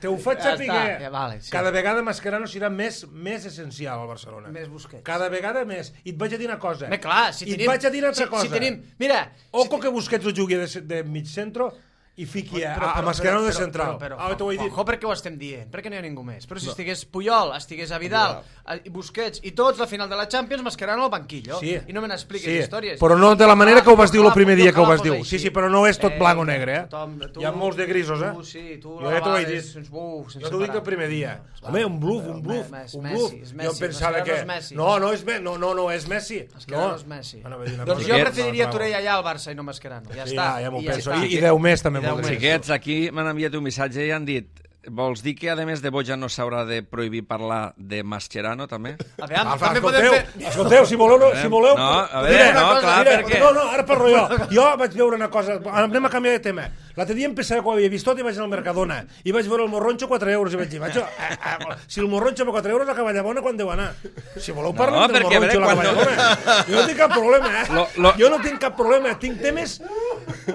Te ho faig Ja saber. està, ja vale, sí. Cada vegada Mascherano serà més, més essencial al Barcelona. Més Busquets. Cada vegada més. I et vaig a dir una cosa. Home, clar, si I tenim... et vaig a dir una altra si, cosa. Si tenim... Mira... Oco que Busquets ho jugui de, de mig centro i fiqui a, a Mascherano de central. Però, Ah, t'ho he dit. Ojo, perquè ho estem dient, perquè no hi ha ningú més. Però si estigués Puyol, estigués a Vidal, a Busquets i tots, la final de la Champions, Mascherano al banquillo. Sí. I no me n'expliquis Sí, històries. però no de la manera que ho vas dir el primer dia que ho vas Ojalà dir. fos Sí, així. sí, però no és tot blanc o negre, eh? Tothom, tu, Hi ha molts de grisos, eh? Tu, sí, tu Jo la ja t'ho vaig vales dir. sense buf, sense Jo t'ho dic parar. el primer dia. Doncs, Home, va, un bluff, però un bluff, és un Messi, bluff. és Jo Messi, em pensava Mascherano que... és Messi. No, no és, Me... no, no, no és Messi. Mascherano No. és Messi. Anava a dir una Doncs cosa jo que- preferiria no, Torell allà al Barça i no Mascherano. Ja Sí, està. ja, ja m'ho I penso. està. I, I deu més també Xiquets, aquí m'han enviat un missatge i han dit vols dir que, a més de Boja, no s'haurà de prohibir parlar de Mascherano, també? A veure, Alfa, també podem escolteu, fer... escolteu, si voleu... No, si voleu No, a veure, mira, no, cosa, clar, mira, perquè... No, no, ara parlo jo. Jo vaig veure una cosa... Anem a canviar de tema. L'altre dia em pensava que ho havia vist tot i vaig anar al Mercadona. I vaig veure el morronxo quatre euros i vaig dir, macho, eh, eh, si el morronxo per quatre euros la Cavallabona quan deu anar? Si voleu parlar No, del perquè, morronxo i la a veure, Cavallabona. Jo no tinc cap problema, eh? Lo- lo- Jo no tinc cap problema. Tinc temes...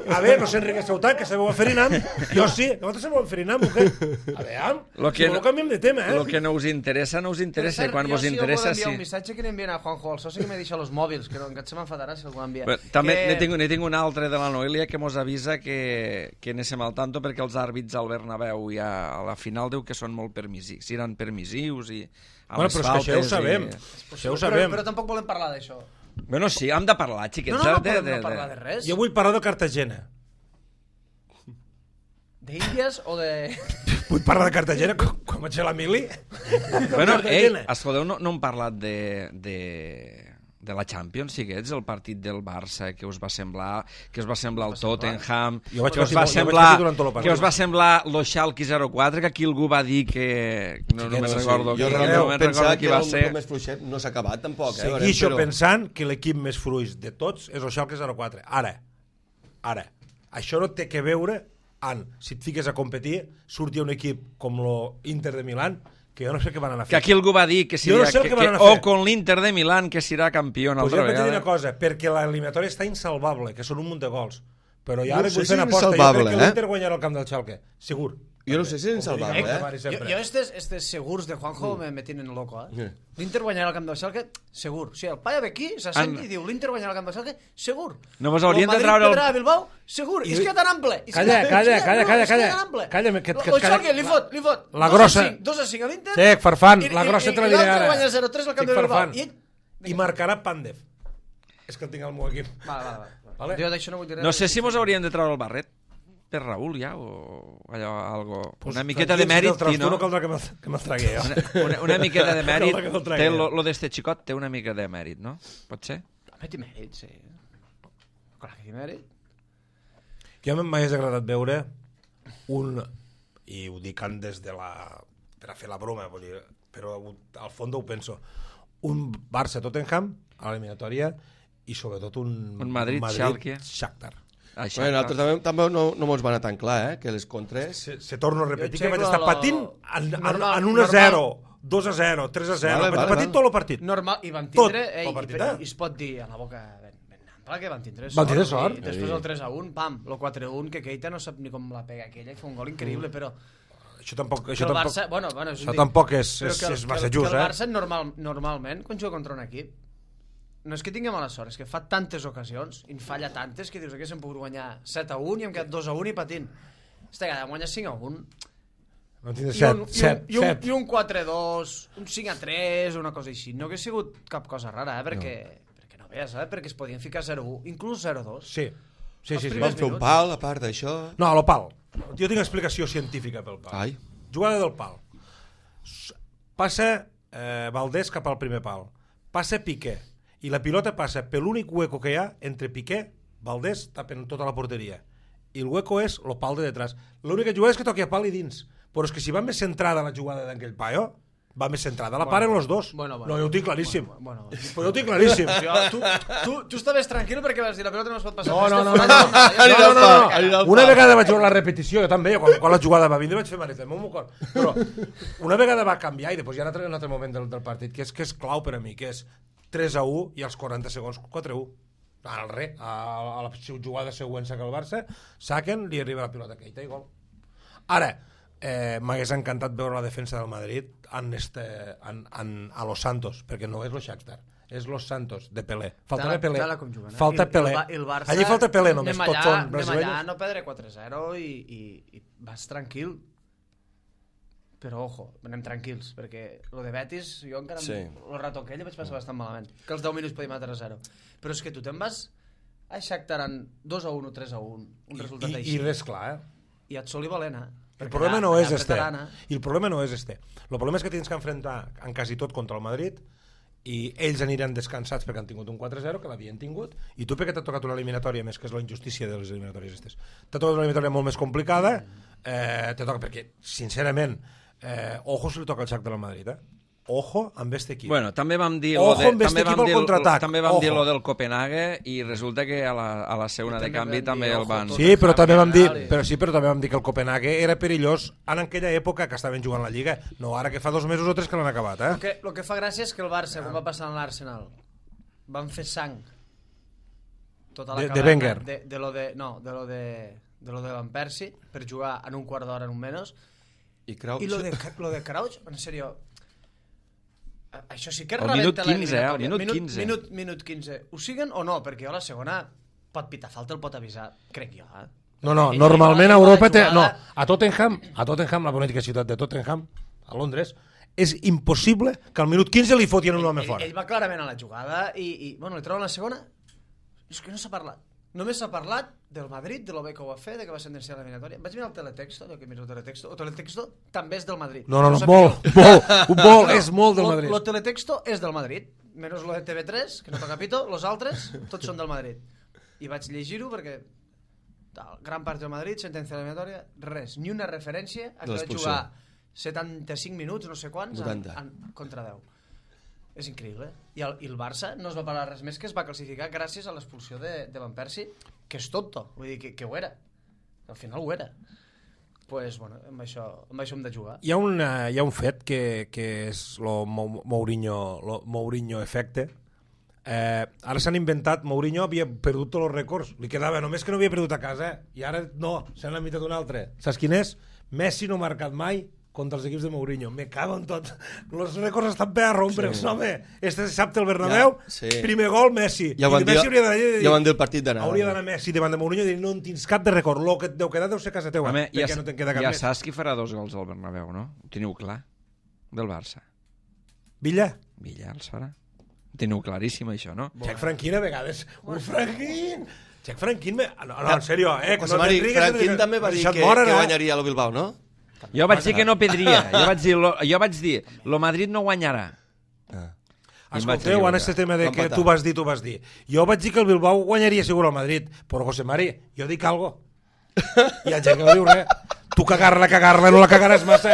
A veure, no sé, Enrique Sautant, que sabeu aferinam. Jo sí. Nosaltres sabeu aferinam, o què? A veure, Lo que si voleu canviem de tema, eh? El que no us interessa, no us interessa. I quan jo vos sí interessa, sí. sí. un missatge que li envien a Juanjo, el soci que me deixa los mòbils, que no, que se m'enfadarà si algú envia. Però també que... ne tinc, ne tinc un altre de la Noelia que mos avisa que, que anéssim al tanto perquè els àrbits al Bernabéu ja a la final diu que són molt permissius, seran permissius i amb Bueno, les però és que això ja ho faltes sabem. i... Això ho Però, sabem. però tampoc volem parlar d'això. Bueno, sí, hem de parlar, xiquets. No, no, no de, podem de, no parlar de res. Jo vull parlar de Cartagena. D'Índies o de... Vull parlar de Cartagena quan, quan vaig a la mili. Bueno, ei, Cartagena. escolteu, no, no hem parlat de, de, de la Champions, xiquets, el partit del Barça, que us va semblar, que us va semblar el Tottenham, Jo vaig que us patir va molt- jo vaig semblar, patir durant tot el partit. que us va semblar lo Schalke zero quatre, que aquí algú va dir que... No, no me'n recordo, jo qui- realment no me'n pensava recordo que qui era va un ser. grup més fluixet, no s'ha acabat tampoc, eh? Seguixo però... pensant que l'equip més fruix de tots és el Schalke zero quatre. Ara, ara, això no té que veure amb, si et fiques a competir, surti un equip com l'Inter de Milán, que jo no sé què van anar a Que fer. aquí algú va dir que Jo no seria, sé el que, que van que, anar a o fer. con l'Inter de Milán que serà campió una Pues altra jo vaig dir una vegada. cosa, perquè l'eliminatòria està insalvable, que són un munt de gols. Però ja No ara sé vull si fer una aposta. Jo insalvable, crec que eh? l'Inter guanyarà el camp del Schalke, segur. Jo no sé si és insalvable, Com eh? dic, Jo, jo estes, estes segurs de Juanjo mm. me, me tienen loco, eh? Yeah. L'Inter guanyarà el camp del Schalke, segur. O sigui, el paia ve aquí, s'assent En- i diu l'Inter guanyarà el camp del Schalke, segur. No vos haurien de el treure el- Madrid perdrà a Bilbao, segur. I... És que tan ample. És Calla, que... calla, és que- calla, no, calla, és que calla. tan ample. Calla, que- que- El que- Schalke li fot, li fot. La dos a grossa. cinc, dos a cinc a l'Inter. Sí, Farfan, i- la i- grossa i- te la i diré l'altre ara. guanya zero tres al camp Estic de Bilbao. Farfan. I ell... I marcarà Pandev. És que el tinc al meu equip. Vale, vale, vale. Vale. Jo d'això no vull dir res. No sé si mos hauríem de treure el barret per Raül ja, o allò, algo... Pues Una miqueta de mèrit, sí, no? no caldrà que me'l que me'l tragui jo. Una, una, una miqueta de mèrit. Caldrà que me'l tragui Té jo. lo, lo d'este xicot té una mica de mèrit, no? Pot ser? Home, té mèrit, sí. Clar que té mèrit. Jo m'hagués agradat veure un, i ho dic des de la... per a fer la broma, vull dir, però al fons ho penso, un Barça-Tottenham a l'eliminatòria i sobretot un, Un Madrid-Schalke. Shakhtar. Això, Bueno, nosaltres també, també no, no mos va anar tan clar, eh? Que les contres... Se, se torno a repetir Jo que vaig aixeco estar la- patint en, en, normal- en un a zero, dos a zero, tres a zero, Vale, vaig vale, patir vale. tot el partit. Normal, i van Tot, tindre... el Ei, partit, i, eh? i es pot dir a la boca ben, ben ample que van tindre sort. Van tindre sort. I després el tres a un, pam, el quatre a un, que Keita no sap ni com la pega aquella, que fa un gol increïble, Mm. però... Això tampoc, que això el tampoc, Barça, bueno, bueno, és un això dic- tampoc és, però és, que el- és que massa el- just, que el eh? Barça normal, normalment, quan juga contra un equip, no és que tingui mala sort, és que fa tantes ocasions i en falla tantes que dius que s'hem pogut guanyar set a un i hem quedat dos a un i patint. Esta vegada hem guanyat cinc a un. No tindre I un, set, i un, set, i un, set. i un quatre a dos, un cinc a tres, una cosa així. No hagués sigut cap cosa rara, eh? Perquè no, perquè no veies, eh? Perquè es podien ficar zero a un, inclús zero a dos. Sí, sí, sí. sí. primers Vam fer un minuts. pal, a part d'això... No, el pal. Jo tinc explicació científica pel pal. Ai. Jugada del pal. S- Passa eh, Valdés cap al primer pal. Passa Piqué. I la pilota passa per l'únic hueco que hi ha entre Piqué, Valdés, tapen tota la porteria. I el hueco és el pal de detrás. L'única jugada és que toqui a pal i dins. Però és que si va més centrada la jugada d'aquell paio, va més centrada. La paren els dos. bueno, bueno. no, jo ho tinc claríssim. Bueno, bueno, bueno. Però jo ho tinc claríssim. Jo, tu, tu, tu estaves tranquil perquè vas dir la pilota no es pot passar. No, no, no, Este no, no, fora, no, no, no, no. Anirà al Una pal. vegada vaig veure la repetició, jo també, quan, quan la jugada va vindre vaig fer manet, meu cor. Però una vegada va canviar i després hi ha un altre, un altre moment del, del partit que és, que és clau per a mi, que és tres a u i als quaranta segons quatre a u. Al re, a, a la jugada següent saca el Barça, saquen, li arriba la pilota a Keita i gol. Ara, eh, m'hagués encantat veure la defensa del Madrid en este, en, en, a Los Santos, perquè no és lo Shakhtar, és Los Santos, de Pelé. Faltava Tala- Pelé. tala com juguen, eh? Falta I el- Pelé. i el Ba- i el Barça, Allí falta Pelé només, anem tots allà, són brasileños. Anem allà, no perdre quatre a zero i, i, i vas tranquil. Però, ojo, anem tranquils, perquè lo de Betis, jo encara... Sí. El rato aquell vaig passar bastant malament. Que els deu minuts podíem matar a zero. Però és que tu te'n vas a Shakhtar en dos a un o tres a un, un resultat I, així. i res clar, eh? I et soli valent, eh? El Perquè problema allà- no allà és este. apretaran, eh? I el problema no és este. El problema és que tens que enfrontar en quasi tot contra el Madrid i ells aniran descansats perquè han tingut un quatre zero, que l'havien tingut, i tu perquè t'ha tocat una eliminatòria, més que és la injustícia de les eliminatòries aquestes, t'ha tocat una eliminatòria molt més complicada, eh, te toca perquè, sincerament, eh, ojo si li toca el Shakhtar al Madrid, eh? Ojo amb este equip. Bueno, també vam dir Ojo lo de, amb este també equip vam al dir, contraatac. també vam Ojo. dir lo del Copenhague i resulta que a la, a la segona de canvi també el van... Sí, però també vam dir, però sí, però també vam dir que el Copenhague era perillós en aquella època que estaven jugant la Lliga, no ara que fa dos mesos o tres que l'han acabat, eh? El que, el que fa gràcia és que el Barça, com va passar amb l'Arsenal, van fer sang tota la De- de caverna Wenger. de, de lo de, no, de lo de, de lo de Van Persie per jugar en un quart d'hora en un menys I Crouch... i lo de, lo de Crouch, en sèrio, això sí que Al rebenta minut quinze, eh, al l'eliminatòria. minut quinze. Minut, minut quinze. Ho siguen o no? Perquè jo a la segona pot pitar falta, el pot avisar, crec jo, eh? No, no, Ell- normalment ell a va- Europa té... jugada- No, a Tottenham, a Tottenham, la bonítica ciutat de Tottenham, a Londres, és impossible que al minut quinze li fotien un home ell, fora. ell va clarament a la jugada i, i bueno, li troben la segona. És que no s'ha parlat. Només s'ha parlat del Madrid, de lo bé que ho va fer, de que va sentenciar l'eliminatòria. Vaig mirar el teletexto, de que miro el teletexto. El teletexto també és del Madrid. No, no, no, sabia molt, jo. molt, molt, és molt del Lo- Madrid. Lo teletexto és del Madrid, menys lo de T V tres, que no toca pito, los altres, tots són del Madrid. I vaig llegir-ho perquè tal, gran part del Madrid, sentència eliminatòria, res, ni una referència a De que va l'expulsió. jugar setanta-cinc minuts, no sé quants, en, vuitanta. en, contra deu. És increïble. I el, I el Barça no es va parlar res més, que es va classificar gràcies a l'expulsió de, de Van Persie, que és tonto, vull dir que, que ho era. Al final ho era. Pues, bueno, amb això, amb això hem de jugar. Hi ha, una, hi ha un fet que, que és el Mourinho, lo Mourinho efecte. Eh, ara s'han inventat, Mourinho havia perdut tots els rècords, li quedava només que no havia perdut a casa, eh? I ara no, s'han limitat un altre. Saps quin és? Messi no ha marcat mai contra els equips de Mourinho. Me cago en tot. Els rècords estan per a rompre'ls, sí. Home. Este dissabte al Bernabéu, Ja, sí. primer gol, Messi. Ja ho van I Messi dir- hauria d'anar- ja ho van dir el partit d'anada. Hauria d'anar Messi davant de Mourinho i dir no en tens cap de rècord. Lo que et deu quedar deu ser casa teua, Home, ja, perquè no te'n queda cap ja més. saps qui farà dos gols al Bernabéu, no? Ho teniu clar? Del Barça. Villa? Villa els farà. Ho teniu claríssim, això, no? Xec Franquín a vegades. Un Franquín! Xec Franquín... Me... No, no, en sèrio, eh? José no Mari, t'enrigues, Franquín no- també va dir deixa't que, moren, que eh? guanyaria el Bilbao, no? Jo vaig dir que no pedria. Jo vaig dir, lo, jo vaig dir, lo Madrid no guanyarà. Ah. I em vaig Escolteu, en equivocar. este tema de Va que empatar. tu vas dir, tu vas dir. Jo vaig dir que el Bilbao guanyaria segur al Madrid, però José Mari, jo dic algo. Hi ha gent que no diu res. Tu cagar-la, cagar-la, no la cagaràs massa.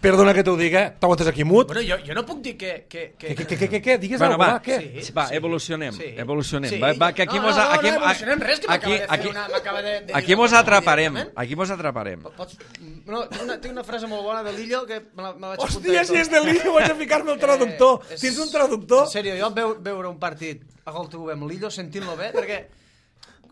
Perdona que t'ho diga. T'aguantes aquí mut? Bueno, jo, jo no puc dir que... que, que... Què, què, què, què, què? Digues Bueno, alguna va, cosa, què? Sí. va, evolucionem, Sí. evolucionem. Sí. Va, va, que aquí no, mos... no, a- aquí, no, no evolucionem res, que aquí, m'acaba de fer aquí, una... m'acaba de, de aquí dir mos una cosa atraparem. directament. Aquí mos atraparem. Pots... No, tinc una, tinc una frase molt bona de Lillo que me la, me la vaig apuntar. Hòstia, si és de Lillo, vaig a ficar-me el traductor. Eh, és- Tens un traductor? En sèrio, jo veu, veure un partit a gol tu amb Lillo sentint-lo bé, perquè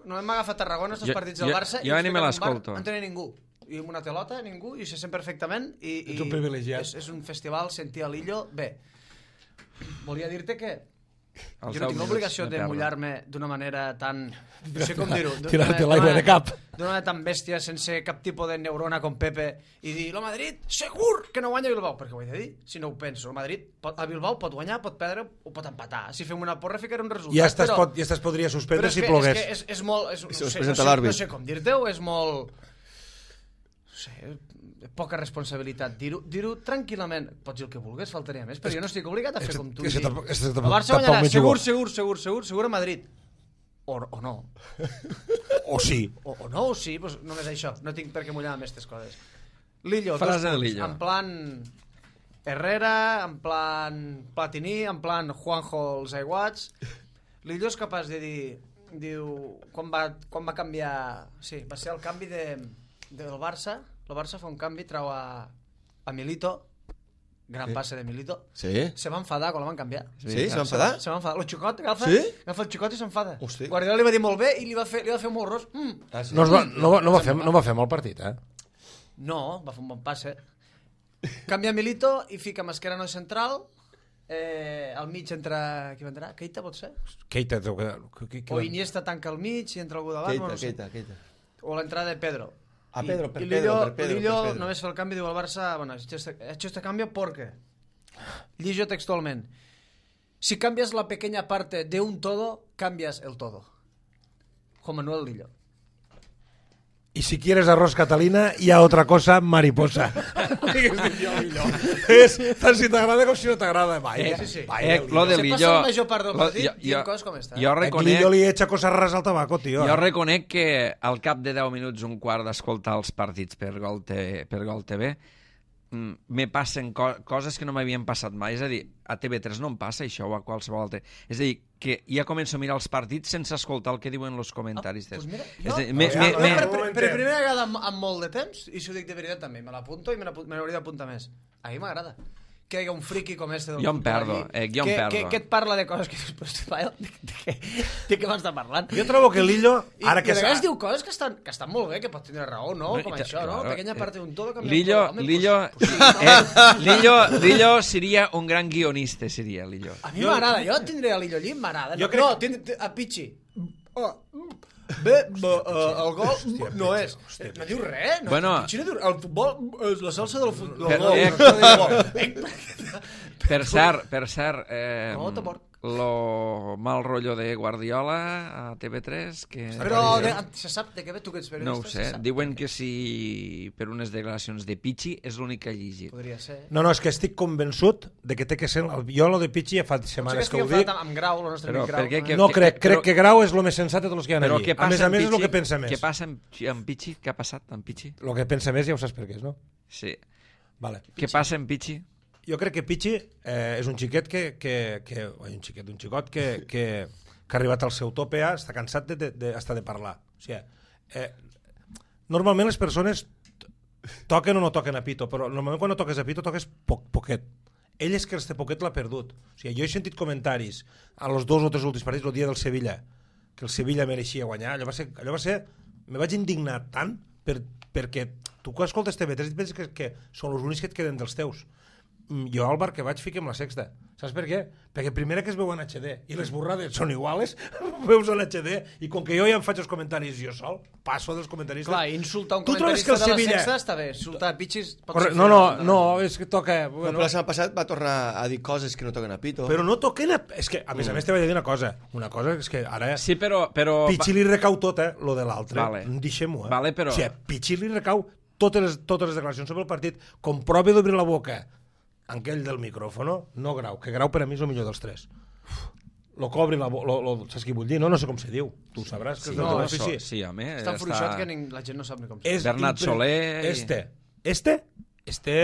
no hem agafat Tarragona, estos Jo- partits del jo- Barça, jo i ni me l'escolto. No tenia ningú. I amb una telota, ningú, i se sent perfectament. I, i Ets un privilegiat. És, és un festival sentir a Lillo bé. Volia dir-te que Els jo deu no tinc minuts l'obligació de de perdre. mullar-me d'una manera tan... No sé com dir-ho. d'una Tirar-te manera- l'aigua de cap. D'una manera tan bèstia, sense cap tipus de neurona com Pepe, i dir, lo Madrid, segur que no guanya Bilbao. Perquè ho he de dir, si no ho penso. El Madrid, pot, a Bilbao pot guanyar, pot perdre o pot empatar. Si fem una porra, ficaré un resultat. I ja estàs, però, pot, ja estàs podria suspendre però és si que, plogués. És, que és, és molt... És, si no, us sé, presenta no, sé, l'àrbit. no sé com dir-te-ho, és molt... No sé, poca responsabilitat. Dir-ho dir tranquil·lament. Pots dir el que vulguis, faltaria més, però jo no estic obligat a fer és- com tu. és que i dir, tampoc- és que el tampoc- Barça tampoc guanyarà, m'hi segur, jugo. segur, segur, segur, segur a Madrid. O, o no. O sí. O, o no, o sí, doncs només això. No tinc per què mullar amb aquestes coses. Lillo, Frase dos de punts. Lillo. En plan Herrera, en plan Platini, en plan Juanjo els aiguats. Lillo és capaç de dir... Diu, quan va, quan va canviar... Sí, va ser el canvi de, del Barça. El Barça fa un canvi, trau a, a Milito. Gran passe de Milito. Sí? Se va enfadar quan la van canviar. Sí? Se va enfadar? Se va enfadar. El xicot agafa, Sí? agafa el xicot i s'enfada. Hosti. Guardiola li va dir molt bé i li va fer, li va fer molt ros. Mm. Ah, sí? No, es va, no, va, no, va fer, no va fer mal partit, eh? No, va fer un bon passe. Canvia Milito i fica Mascherano central. Eh, al mig entra... Qui va entrar? Keita, pot ser? Keita, deu quedar... Qui, qui, O Iniesta tanca al mig i entra algú davant. Keita, no sé. Keita, Keita. O l'entrada de Pedro. Ah, I- Pedro, per y Pedro, Lillo, per Pedro, Lillo per Pedro. només fa el canvi, diu al Barça, bueno, he hecho este, he hecho este cambio porque, Lillo textualment, si cambias la pequeña parte de un todo, cambias el todo. Juan Manuel Lillo. y si quieres arroz Catalina hi ha otra cosa mariposa. És tant si t'agrada com si no t'agrada. Eh, sí, sí. eh, lo de Se Lillo... passa la major part del lo- partit jo- dient jo- coses com està. Jo Aquí reconec... Lillo li echa coses rares al tabaco, tio. Jo reconec que al cap de deu minuts, un quart d'escoltar els partits per Gol, T- per Gol T V, mm, me passen co coses que no m'havien passat mai. És a dir, a T V tres no em passa això, o a qualsevol altre. És a dir, que ja començo a mirar els partits sense escoltar el que diuen els comentaris. Ah, doncs mira, És jo- a dir, me, jo- me, jo me, per, per, momentet. per primera vegada en, en molt de temps, i si ho dic de veritat també, me l'apunto i me n'apu- me n'hauria d'apuntar més. A mi m'agrada que hi ha un friqui com este del Jo em futbol perdo, allí, eh, jo em que, perdo. Que, que et parla de coses que després de, de, de, de què m'està parlant. Jo trobo que Lillo, I, ara i que... a s'ha- vegades diu coses que estan, que estan molt bé, que pot tenir raó, no? No, Com i ta- això, no? claro, Pequeña eh, parte d'un todo cambia Lillo, todo. Home, Lillo, pues, pues, sí, eh, Lillo, Lillo seria un gran guionista, seria Lillo. A mi m'agrada, jo tindré a Lillo allí, m'agrada. Jo No, crec- no tindré, a Pichi. Oh, bé, bé, uh, el gol Hòstia, no Pichi, és. hòstia, No diu res. No, Bueno. Pichi no diu, el futbol és la salsa del futbol. Per- del eh, gol. Eh, Per cert, per cert, eh, No, t'amor. lo mal rotllo de Guardiola a T V tres, que... Però de, se sap de què ve tu que ets periodista? No ho sé, se sap? diuen que si per unes declaracions de Pichi és l'únic que ha llegit. Podria ser. No, no, és que estic convençut de que té que ser... El... Jo lo de Pichi ja fa Potser que setmanes que estic ho dic. enfadat amb, amb Grau, el nostre Però amic Grau. per què no? que- No crec, crec però- que Grau és el més sensat de tots els que hi ha Però allí. què A passa més a amb més és Pichi? el que pensa més. Què passa amb, amb Pichi? Què ha passat amb Pichi? El que pensa més ja ho saps per què és, no? Sí. Vale. Què passa amb Pichi? Jo crec que Pichi eh, és un xiquet que... que, que oi, un xiquet, un xicot que, que, que ha arribat al seu tope, ja, està cansat de, de, de, hasta de parlar. O sigui, eh, normalment les persones toquen o no toquen a pito, però normalment quan no toques a pito toques poc, poquet. Ell és que este poquet l'ha perdut. O sigui, jo he sentit comentaris a los dos o tres últims partits, el dia del Sevilla, que el Sevilla mereixia guanyar. Allò va ser... Allò va ser me vaig indignar tant per, perquè tu quan escoltes T V tres et penses que, que són els únics que et queden dels teus. Mm, Jo al bar que vaig fiquem la sexta. Saps per què? Perquè primera que es veu en H D i les borrades són iguales, veus en H D i com que jo ja em faig els comentaris jo sol, passo dels comentaristes. Clar, insultar un Tu trobes comentarista que el de la Sevilla- sexta està bé. Insultar Pichis... pot Corre... ser No, fer no, una- no, és que toca... Bueno, Bueno, però la setmana passat va tornar a dir coses que no toquen a pito. però no toquen... A... És que, a més a més, te vaig dir una cosa. Una cosa és que ara... Sí, però... però... Pichi li recau tot, eh, lo de l'altre. Vale. Deixem-ho, eh. Vale, però- O sigui, Pichi li recau totes les, totes les declaracions sobre el partit. Com prova d'obrir la boca aquell del micròfono, no Grau, que Grau per a mi és el millor dels tres. Lo cobri la boca, lo, lo, saps què vull dir? No, no sé com se diu. Tu sabràs que Sí, és del no, teu això, ofici. sí, home. És tan fluixot que ning... la gent no sap ni com se És Bernat impre- Soler i- Este, este, este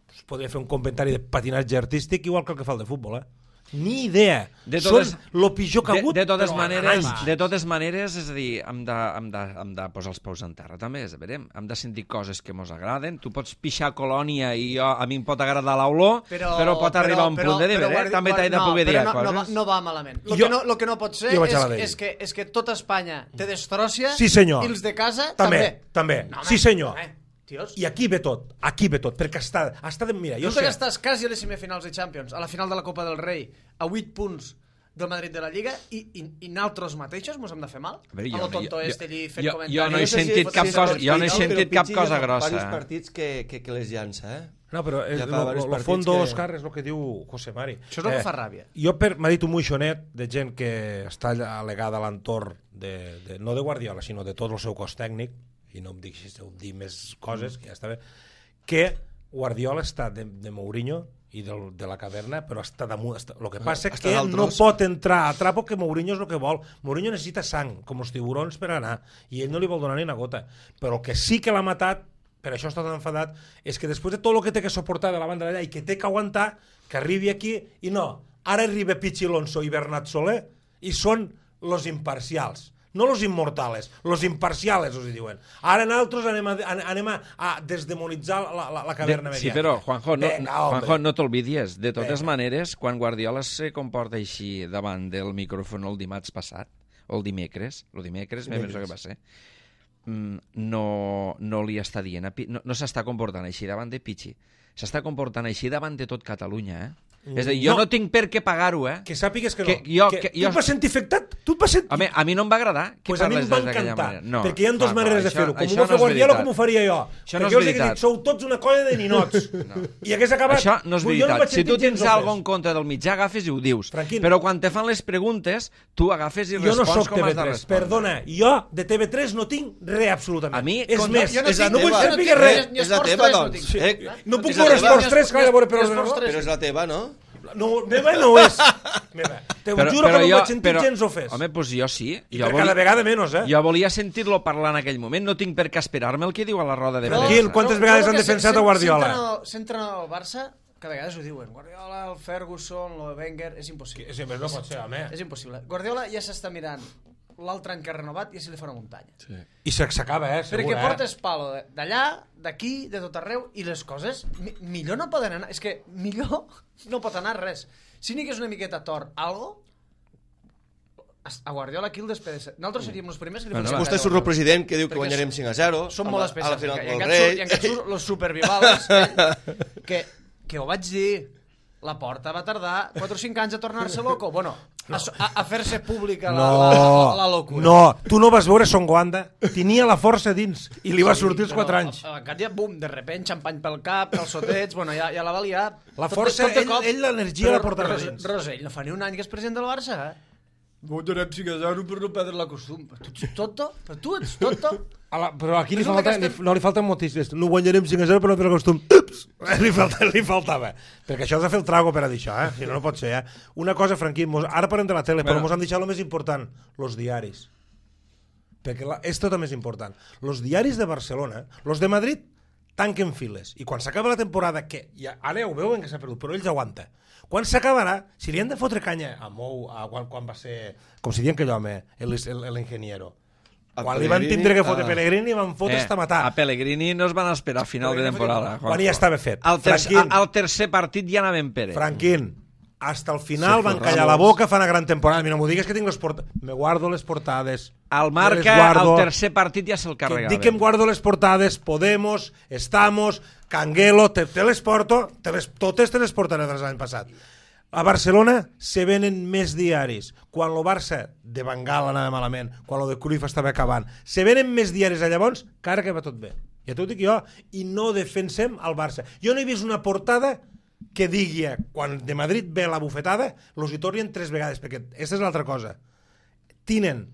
pues, podria fer un comentari de patinatge artístic igual que el que fa el de futbol, eh? Ni idea. De totes- Són lo pitjor que ha De, hagut. de, totes però maneres, anys. de totes maneres, és a dir, hem de, hem de, hem de posar els peus en terra, també, és a veure, hem de sentir coses que mos agraden. Tu pots pixar Colònia i jo, a mi em pot agradar l'olor, però, però pot arribar a un punt de dir, eh? també t'he de no, poder dir però no, coses. no, va, no va malament. Lo, Jo- que no, lo que no pot ser jo vaig és, a la d'ell. és, que, és que tota Espanya te destròcia Sí, senyor. i els de casa També, també. també. No, home, Sí, senyor. home, tios. I aquí ve tot, aquí ve tot, perquè està, està de... Mira, jo Tu sé... que estàs quasi a les semifinals de Champions, a la final de la Copa del Rei, a vuit punts del Madrid de la Lliga, i, i, i nosaltres mateixos mos hem de fer mal? A veure, A jo- lo tonto jo- este allí fent jo- comentaris. jo no he sé si- sentit si cap és cosa- per jo no he Pichi, sentit però cap Pichi cosa ja fa grossa. diversos partits que, que, que les llança, eh? No, però el, Ja ja fa lo, diversos lo, lo partits fondo, que- Òscar, és el que diu José Mari. Això és el que fa ràbia. Jo per, m'ha dit un moixonet de gent que està alegada a l'entorn, de, de, no de Guardiola, sinó de tot el seu cos tècnic, i no em dic si heu dir més coses, que ja està bé, que Guardiola està de, de Mourinho i del, de la caverna, però està damunt. Està, el que passa és Està que dalt no tros. pot entrar a trapo, que Mourinho és el que vol. Mourinho necessita sang, com els tiburons per anar, i ell no li vol donar ni una gota. Però el que sí que l'ha matat, per això està tan enfadat, és que després de tot el que té que suportar de la banda d'allà i que té que aguantar, que arribi aquí, i no, ara arriba Pichi Alonso i Bernat Soler, i són los imparcials. No los immortales, los imparciales, us hi diuen. Ara nosaltres anem a, anem a, a desdemonitzar la, la, la caverna De, sí, mediàtica. però, Juanjo, no, Venga, Juanjo, hombre. no t'olvidies. De totes Venga. maneres, quan Guardiola se comporta així davant del micròfon el dimarts passat, o el dimecres, el dimecres, me penso que va ser, mm, no, no li està dient, a Pi- no, no s'està comportant així davant de Pichi, s'està comportant així davant de tot Catalunya, eh? És a dir, jo no, No. no tinc per què pagar-ho, eh? Que sàpigues que no. Que jo- que que tu jo- et vas sentir afectat? Tu et vas sentir... Home, a mi no em va agradar que Pues a mi em parles va d'aquella encantar, manera. No, perquè hi ha clar, dues clar, maneres de això- fer-ho. Com això ho va fer no és Guardiola, veritat. com ho faria jo. Això perquè no és jo els he veritat. dit, sou tots una colla de ninots. I hagués acabat... Això no és Vull dir, jo veritat. vaig Si sentir tu tens gens alguna ofès. en contra del mitjà, agafes i ho dius. Franquín. Però quan te fan les preguntes, tu agafes i Jo no respons soc com has de T V tres, respondre. perdona, jo de T V tres no tinc res absolutament. A mi, és com- més, jo no és tinc- no vull jo no saber tinc res. ni És la Esports teva, tres no doncs. tinc. Eh? No puc És la veure teva. Esports tres que vaig a veure per Ni ordenador. Esports tres. Però és la teva, no? No, meva no és. Meva. Te ho juro que no em vaig sentir gens ofès. Home, doncs jo sí. I Jo per volia, cada vegada menys, eh? jo volia sentir-lo parlar en aquell moment. No tinc per què esperar-me el que diu a la roda de Però- Tranquil, premsa. quantes però- vegades però han que defensat se- a Guardiola? S'entren S'entren al Barça, que a vegades ho diuen. Guardiola, el Ferguson, el Wenger, és impossible. Sí, però no pot ser, home. És impossible. Guardiola ja s'està mirant l'altre any que ha renovat i ja se li fa una muntanya. Sí. I s'acaba, eh? Segur, Perquè eh? portes palo de- d'allà, d'aquí, de tot arreu, i les coses mi millor no poden anar. És que millor no pot anar res. Si n'hi hagués una miqueta tort, algo, a Guardiola aquí el despedeix. Nosaltres seríem els primers que li Bueno, fotem va. Vostè a surt el president que diu que Perquè guanyarem cinc a zero. Són amb molt la- especials. A la final I del encara rei. surt, i encara surt los supervivals, eh, que, que ho vaig dir. La Porta va tardar quatre o cinc anys a tornar-se loco. Bueno, a, a, a fer-se pública la, No, la, la, la locura. no, tu no vas veure Son Goanda, tenia la força dins i li va sortir els quatre anys. A, a Càtia, bum, de repent, xampany pel cap, calçotets, bueno, ja, ja la va liar. La força, de ell- cop. ell l'energia Però la porta Ros- dins. Rosell no fa ni un any que és president del Barça, eh? Guanyarem cinc a zero per no perdre la costum. Tu ets tonto? Però tu ets tonto? A la, però aquí li Resulta falta, que estem- li, no li falten motius. No guanyarem cinc a zero, però no per el costum. Ups! Li, falta, li faltava. Perquè això has de fer el trago per a dir això, eh? Si no, no pot ser, eh? Una cosa, Franquí, mos, ara parlem de la tele, però Bueno. mos han deixat el més important, los diaris. Perquè la, és tot el més important. Los diaris de Barcelona, los de Madrid, tanquen files. I quan s'acaba la temporada, que ja, ara ja ho veuen que s'ha perdut, però ells aguanta. Quan s'acabarà, si li han de fotre canya a Mou, a quan, quan va ser, com si diuen aquell home, l'ingeniero, A quan li van Pellegrini, tindre que fotre a- Pellegrini, van fotre hasta matar. Eh, a Pellegrini no es van esperar a final de temporada. Quan ja estava fet. Al, ter Franquín. al tercer partit ja anaven per ell. Franquín, hasta el final Sergio van callar la Ramos. boca, fan una gran temporada. Mira, no m'ho digues que tinc les portades. Me guardo les portades. Al Me marca, les guardo. al tercer partit ja se'l Que carregava. dic que em guardo les portades. Podemos, Estamos, Canguelo, te, te les porto. Te les, totes te les portaré de l'any passat. A Barcelona se venen més diaris. Quan el Barça de Bengal anava malament, quan el de Cruyff estava acabant, se venen més diaris a llavors, que ara que va tot bé. Ja t'ho dic jo. I no defensem el Barça. Jo no he vist una portada que digui, quan de Madrid ve la bufetada, los hi tornen tres vegades, perquè aquesta és l'altra cosa. Tinen,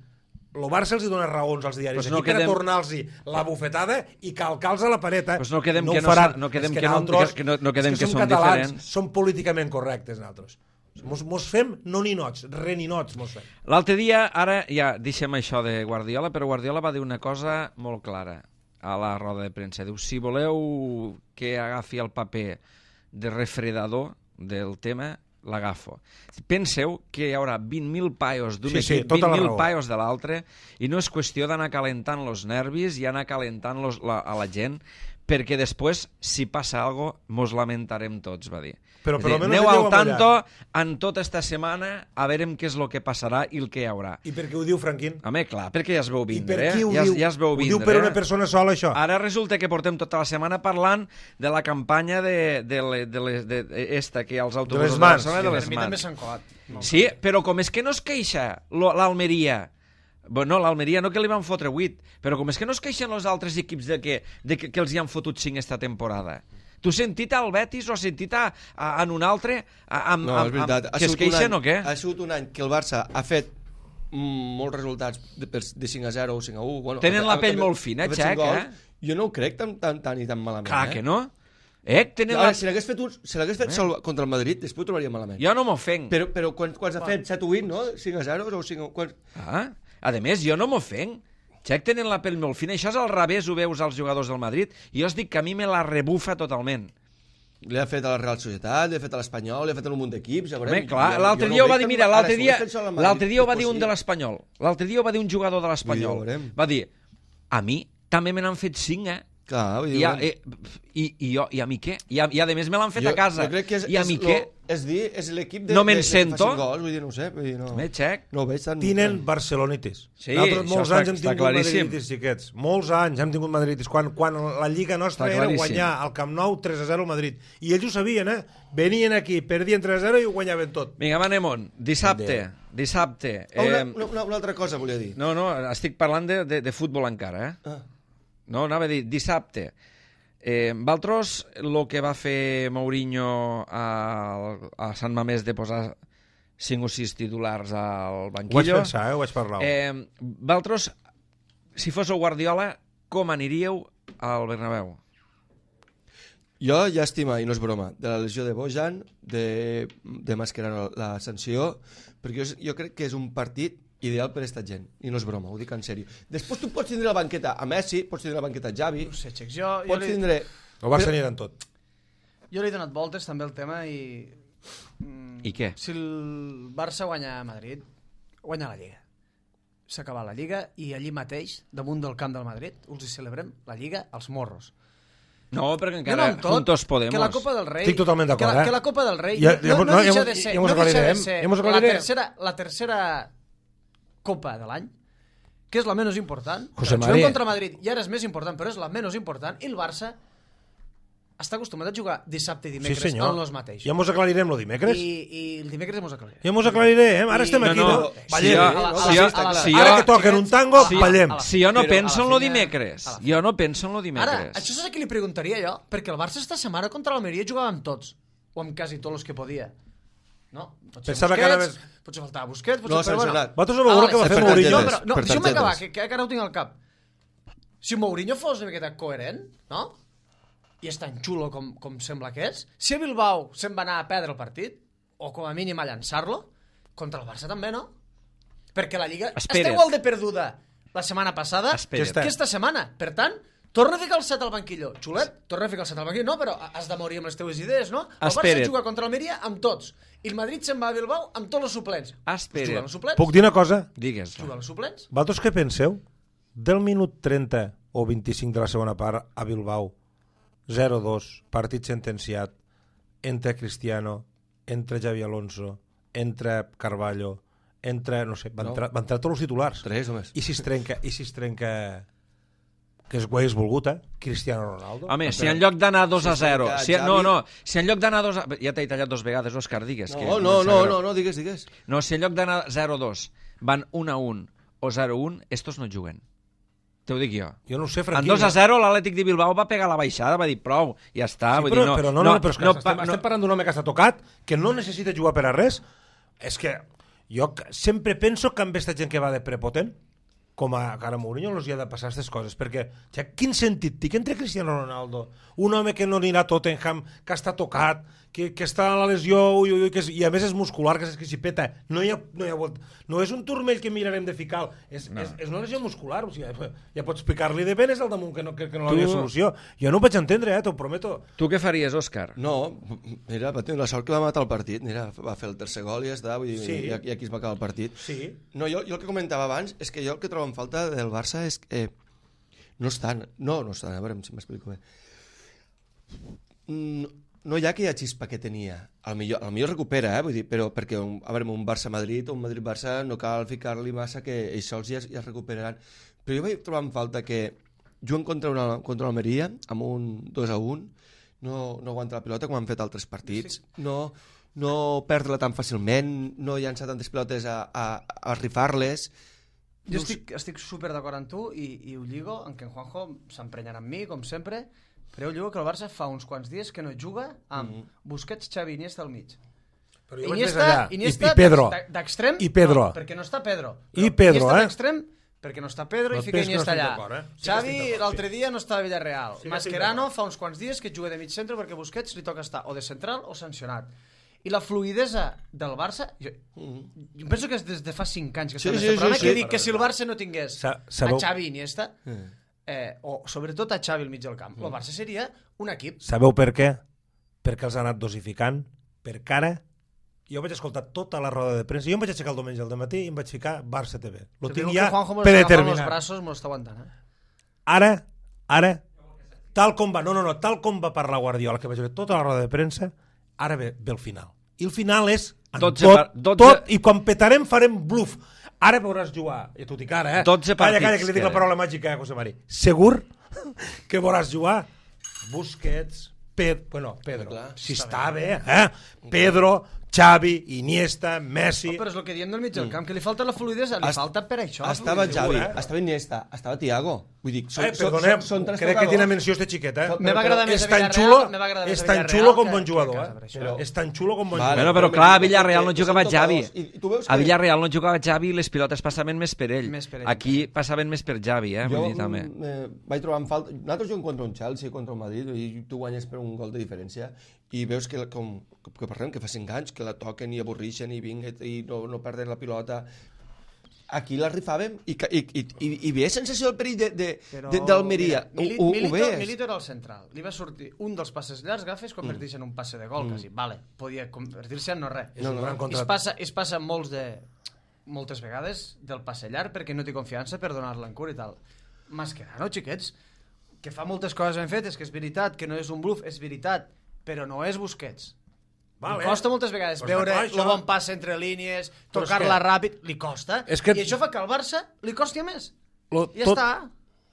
el Barça els hi dona raons als diaris, Pues no aquí per quedem- a tornar-los la bufetada i calcar-los a la pareta. Pues no quedem ho que no faran. sa- no quedem És que no- nosaltres- que no- no quedem és que som som catalans, diferents. som políticament correctes, nosaltres. Mos, mos fem no ninots, re ninots mos fem. L'altre dia, ara ja deixem això de Guardiola, però Guardiola va dir una cosa molt clara a la roda de premsa. Diu, si voleu que agafi el paper de refredador del tema, l'agafo. Penseu que hi haurà vint mil paios d'un Sí, sí, equip, tota la vint mil raó. paios de l'altre, i no és qüestió d'anar calentant els nervis i anar calentant los, la, a la gent, perquè després, si passa alguna cosa, mos lamentarem tots, va dir. Però És per dir, almenys aneu aneu al tanto amollant. en tota esta setmana a veure què és el que passarà i el que hi haurà. I per què ho diu Franquín? Home, clar, perquè ja es veu I vindre, per eh? qui ho ja, diu? ja es veu Ho vindre. diu per una eh? persona sola, això? Ara resulta que portem tota la setmana parlant de la campanya de, de, le, de, les, de, de esta que hi ha als autobusos de, mans. Barcelona, de Per les mi també mans. s'han colat. No. Sí, però com és que no es queixa lo- l'Almeria, bueno, l'Almeria no que li van fotre vuit, però com és que no es queixen els altres equips de que, de que, que els hi han fotut cinc esta temporada? Tu has sentit al Betis o has sentit a, a, en un altre a, amb, No, amb, és veritat. amb, Ha que es sigut un queixen any- o què? Ha sigut un any que el Barça ha fet mm, molts resultats de, de cinc a zero o cinc a u. Bueno, Tenen ha- la pell ha- molt fina, ha fet Xac, cinc gols. eh? Jo no ho crec tan, tan, tan i tan malament. Clar eh? que no. Eh, tenen Ara, la... si l'hagués fet, un, si l'hagués fet sol contra el Madrid, després ho trobaria malament. Jo no m'ofenc. Però, però quan, quan s'ha fet set o vuit, no? cinc a zero o cinc a... Quan... Ah, a més, jo no m'ofenc. Xec tenen la pell molt fina. Això és al revés, ho veus als jugadors del Madrid. I jo us dic que a mi me la rebufa totalment. Li ha fet a la Real Societat, li ha fet a l'Espanyol, li ha fet a un munt d'equips. ja veurem. Home, clar, Jo- l'altre jo no dia ho va veig dir, tan- mira, ara, l'altre si dia, ho hagués fet sol al l'altre dia ho va Madrid, dir un de doncs l'Espanyol. L'altre dia ho va dir un jugador de l'Espanyol. Vull dir, ja veurem. Va dir, a mi també me n'han fet cinc, eh? Clar, vull dir, I, a, bueno. i, i, i, jo, I a mi què? I a, i a més me l'han fet Jo- a casa. jo crec que és, I a és mi lo- què? És dir, és l'equip de, No me'n de, de, sento. que facin gols, vull dir, no ho sé. Vull dir, no, Me xec. no ho veig tan... Tinen barcelonitis. Sí, Nosaltres això molts està- anys hem està tingut claríssim. madridis, xiquets. Molts anys hem tingut madridis. Quan, quan la lliga nostra Està era claríssim. guanyar al Camp Nou tres a zero al Madrid. I ells ho sabien, eh? Venien aquí, perdien tres a zero i ho guanyaven tot. Vinga, va, anem-on. Dissabte. Dissabte. Oh, una, Eh, una, una altra cosa volia dir. no, no, estic parlant de, de, de futbol encara, eh? Ah. No, anava a dir, dissabte. Eh, Valtros, el que va fer Mourinho a, a Sant Mamés de posar cinc o sis titulars al Ho vaig banquillo... pensar, eh? Ho vaig parlar. Eh, Valtros, si fos el Guardiola, com aniríeu al Bernabéu? Jo, llàstima, i no és broma, de la lesió de Bojan, de, de Mascherano la sanció, perquè jo, jo crec que és un partit ideal per esta gent, i no és broma, ho dic en sèrio. Després tu pots tindre la banqueta a Messi, pots tindre la banqueta a Xavi, No sé, Xecs, jo, jo, pots li, tindre... El Barça anirà en tot. jo li he donat voltes també al tema i... Mm, I què? Si el Barça guanya a Madrid, guanya la Lliga. S'ha acabat la Lliga i allí mateix, damunt del camp del Madrid, us hi celebrem la Lliga als morros. No, perquè Jo encara no amb tot, juntos podemos. que la Copa del Rei... Estic totalment d'acord, que la, eh? Que la Copa del Rei Ja- no, ja- no, no, deixa ja- de ser, ja mos no deixa de aclarirem, ser ja mos la aclarirem. tercera, la tercera Copa de l'any, que és la menys important. José Juguem María. contra Madrid i ara és més important, però és la menys important, i el Barça està acostumat a jugar dissabte i Sí, dimecres senyor. en los mateix. Ja mos aclarirem lo dimecres. I, I el dimecres mos aclarirem. Ja mos aclarirem. Ara I- estem No, aquí, no, no? si Ballem. jo- A la- a la si jo- festa, a la- si Ara jo- que toquen un tango, Sí. ballem. A la- Si jo no Però penso a en la lo fina- dimecres. a la Jo no penso en lo Ara, dimecres. això és el que li preguntaria jo, perquè el Barça esta setmana contra l'Almeria jugava amb tots, o amb quasi tots els que podia. No? Potser Pensava que Busquets, anaves- potser faltava Busquets, potser... No, però bueno. sancionat. Vosaltres ho veureu Ah, que va vale, fer per Mourinho. No, targetes, però, no, per deixa'm acabar, targetes. que, que ara ho tinc al cap. Si Mourinho fos una miqueta coherent, no? I és tan xulo com, com sembla que és, si a Bilbao se'n va anar a perdre el partit, o com a mínim a llançar-lo, contra el Barça també, no? Perquè la Lliga Espera't. està igual de perduda la setmana passada Espera't. que esta setmana. Per tant, torna a ficar el set al banquillo. Xulet, torna a ficar el set al banquillo. No, però has de morir amb les teves idees, no? El Barça Espera't. juga contra l'Almeria amb tots. I el Madrid se'n va a Bilbao amb tots els suplents. Espera't. Juga amb els suplents. Puc dir una cosa? Digues. Juga amb els suplents. Vosaltres què penseu? Del minut trenta o vint-i-cinc de la segona part a Bilbao, zero dos, partit sentenciat, entra Cristiano, entra Xavi Alonso, entra Carballo, entra, no sé, van, No. entrar, van entrar tots els titulars. Tres o més. I si es trenca, i si es trenca que es ho hagués volgut, eh? Cristiano Ronaldo. Home, si en lloc d'anar dos a zero... Si Si, Xavi- no, no, si en lloc d'anar dos a... Ja t'he tallat dos vegades, Òscar, digues. que No, em no, sap no, greu. no, no, digues, digues. No, si en lloc d'anar zero a dos van un a un o zero a un, estos no juguen. Te ho dic jo. Jo no ho sé, En Franquinho. dos a zero l'Atlètic de Bilbao va pegar la baixada, va dir prou, ja està. Sí, vull però, dir, no, però no, no, no, però és que no, pa- estem, estem parlant d'un home que està tocat, que no necessita jugar per a res. És que jo c- sempre penso que amb aquesta gent que va de prepotent, com a cara Mourinho, els hi ha de passar aquestes coses, perquè, ja, quin sentit té que entre Cristiano Ronaldo, un home que no anirà a Tottenham, que està tocat, que, que està a la lesió, ui, ui, ui, que és, i a més és muscular, que és que s'hi peta, no, hi ha, no, hi ha, vol- no és un turmell que mirarem de ficar, és, no. és, és una lesió muscular, o sigui, ja, ja pots picar-li de venes al damunt, que no, que, que no Tu- havia solució. Jo no ho vaig entendre, eh, t'ho prometo. Tu què faries, Òscar? No, mira, va tenir la sort que va matar el partit. Mira, va fer el tercer gol i ja està, vull dir, Sí. i, i aquí es va acabar el partit. Sí. No, jo, jo el que comentava abans és que jo el que trobo en falta del Barça és que eh, no estan, no, no estan, a veure si m'explico bé. No, no hi ha aquella xispa que tenia. Al millor, al millor recupera, eh, vull dir, però perquè un, a veure, un Barça-Madrid o un Madrid-Barça no cal ficar-li massa que ells sols ja, es- ja es recuperaran. Però jo vaig trobar en falta que juguen contra una, contra l'Almeria amb un dos a un, no, no aguanta la pilota com han fet altres partits, no, no perdre-la tan fàcilment, no llançar tantes pilotes a, a, a rifar-les. Jo No ho sé. estic, estic super d'acord amb tu i, i ho lligo, en què en Juanjo s'emprenyarà amb mi, com sempre, però jo lligo que el Barça fa uns quants dies que no juga amb Mhm. Busquets, Xavi, Iniesta al mig. Però jo vaig més Iniesta, allà. Iniesta I, i Pedro. d'ex- d'extrem, I Pedro. no, perquè no està Pedro. I Pedro, Iniesta eh? d'extrem, perquè no està Pedro No i et fica pensis que no Iniesta estic allà. d'acord, eh? Sí que Xavi estic d'acord, l'altre sí. dia no estava a Villarreal. Sí que estic Mascherano d'acord. fa uns quants dies que juga de mig centre perquè Busquets li toca estar o de central o sancionat. I la fluidesa del Barça, jo, jo penso que és des de fa cinc anys que Sí, està en sí, aquest sí, programa, sí. que dic que si el Barça no tingués Sa- a sabeu- Xavi i Iniesta, Eh. eh, o sobretot a Xavi al mig del camp, el Barça seria un equip. Sabeu per què? Perquè els ha anat dosificant, per cara. Jo vaig escoltar tota la roda de premsa, jo em vaig aixecar el diumenge al matí i em vaig ficar Barça T V. Lo Te tinc digo ja que Juanjo me lo està agafant amb els predeterminat. braços, me lo està aguantant. Eh? Ara, ara, tal com va, no, no, no, tal com va parlar Guardiola, que vaig veure tota la roda de premsa, ara ve, ve el final. I el final és en dotze tot, par- dotze tot, i quan petarem farem bluff. Ara veuràs jugar, i tot i cara, eh? dotze Calla, partits calla, que li dic la queden. paraula màgica, eh, José Mari. Segur que veuràs jugar Busquets, Pedro, bueno, Pedro, Clar, si està bé, eh? Pedro, Xavi, Iniesta, Messi... Però és el que diem del mig del camp, que li falta la fluidesa, li Est- falta per això. la Estava fluïdesa. Xavi, eh? estava Iniesta, estava Thiago. Vull dir, són, Eh, perdonem, són, són tres crec que tiene jugadors. menció este xiquet, eh? Però- Me va agradar més és a tan Villarreal, xulo, me va agradar més és a tan Villarreal xulo com que- bon jugador, que a eh? casa, per això. Però és tan xulo com bon Vale. Bueno, jugador. però clar, a Villarreal no que jugava són Xavi. tocadors. I- i tu veus A que- Villarreal no jugava Xavi i les pilotes passaven més per ell. Més per ell. Aquí passaven més per Xavi, eh? Jo Vull dir, també. mm, eh, vaig trobar en falta... Nosaltres juguem contra un Chelsea, contra un Madrid, i tu guanyes per un gol de diferència, i veus que, com, que parlem, que fa cinc anys, que la toquen i avorrixen i vinga, i no, no perden la pilota. Aquí la rifàvem i, ca- i, i, i, i ve sensació del perill de, de, Però, de, d'Almeria. mira, Mili- Ho, ho, ho Milito, veies? Milito era el central. Li va sortir un dels passes llargs, agafes, convertir-se en un passe de gol, quasi. Vale, podia convertir-se en no res. És un gran Es contrat. passa, es passa molts de, moltes vegades del passe llarg perquè no té confiança per donar-la en cura i tal. Mascherano, xiquets, que fa moltes coses ben fetes, que és veritat, que no és un bluff, és veritat, però no és Busquets. Vale. Li costa moltes vegades Pues veure d'acord, el això. bon passe entre línies, Però és tocar-la que- ràpid, li costa. És que- I això fa que al Barça li costi més. Lo, Ja tot, està.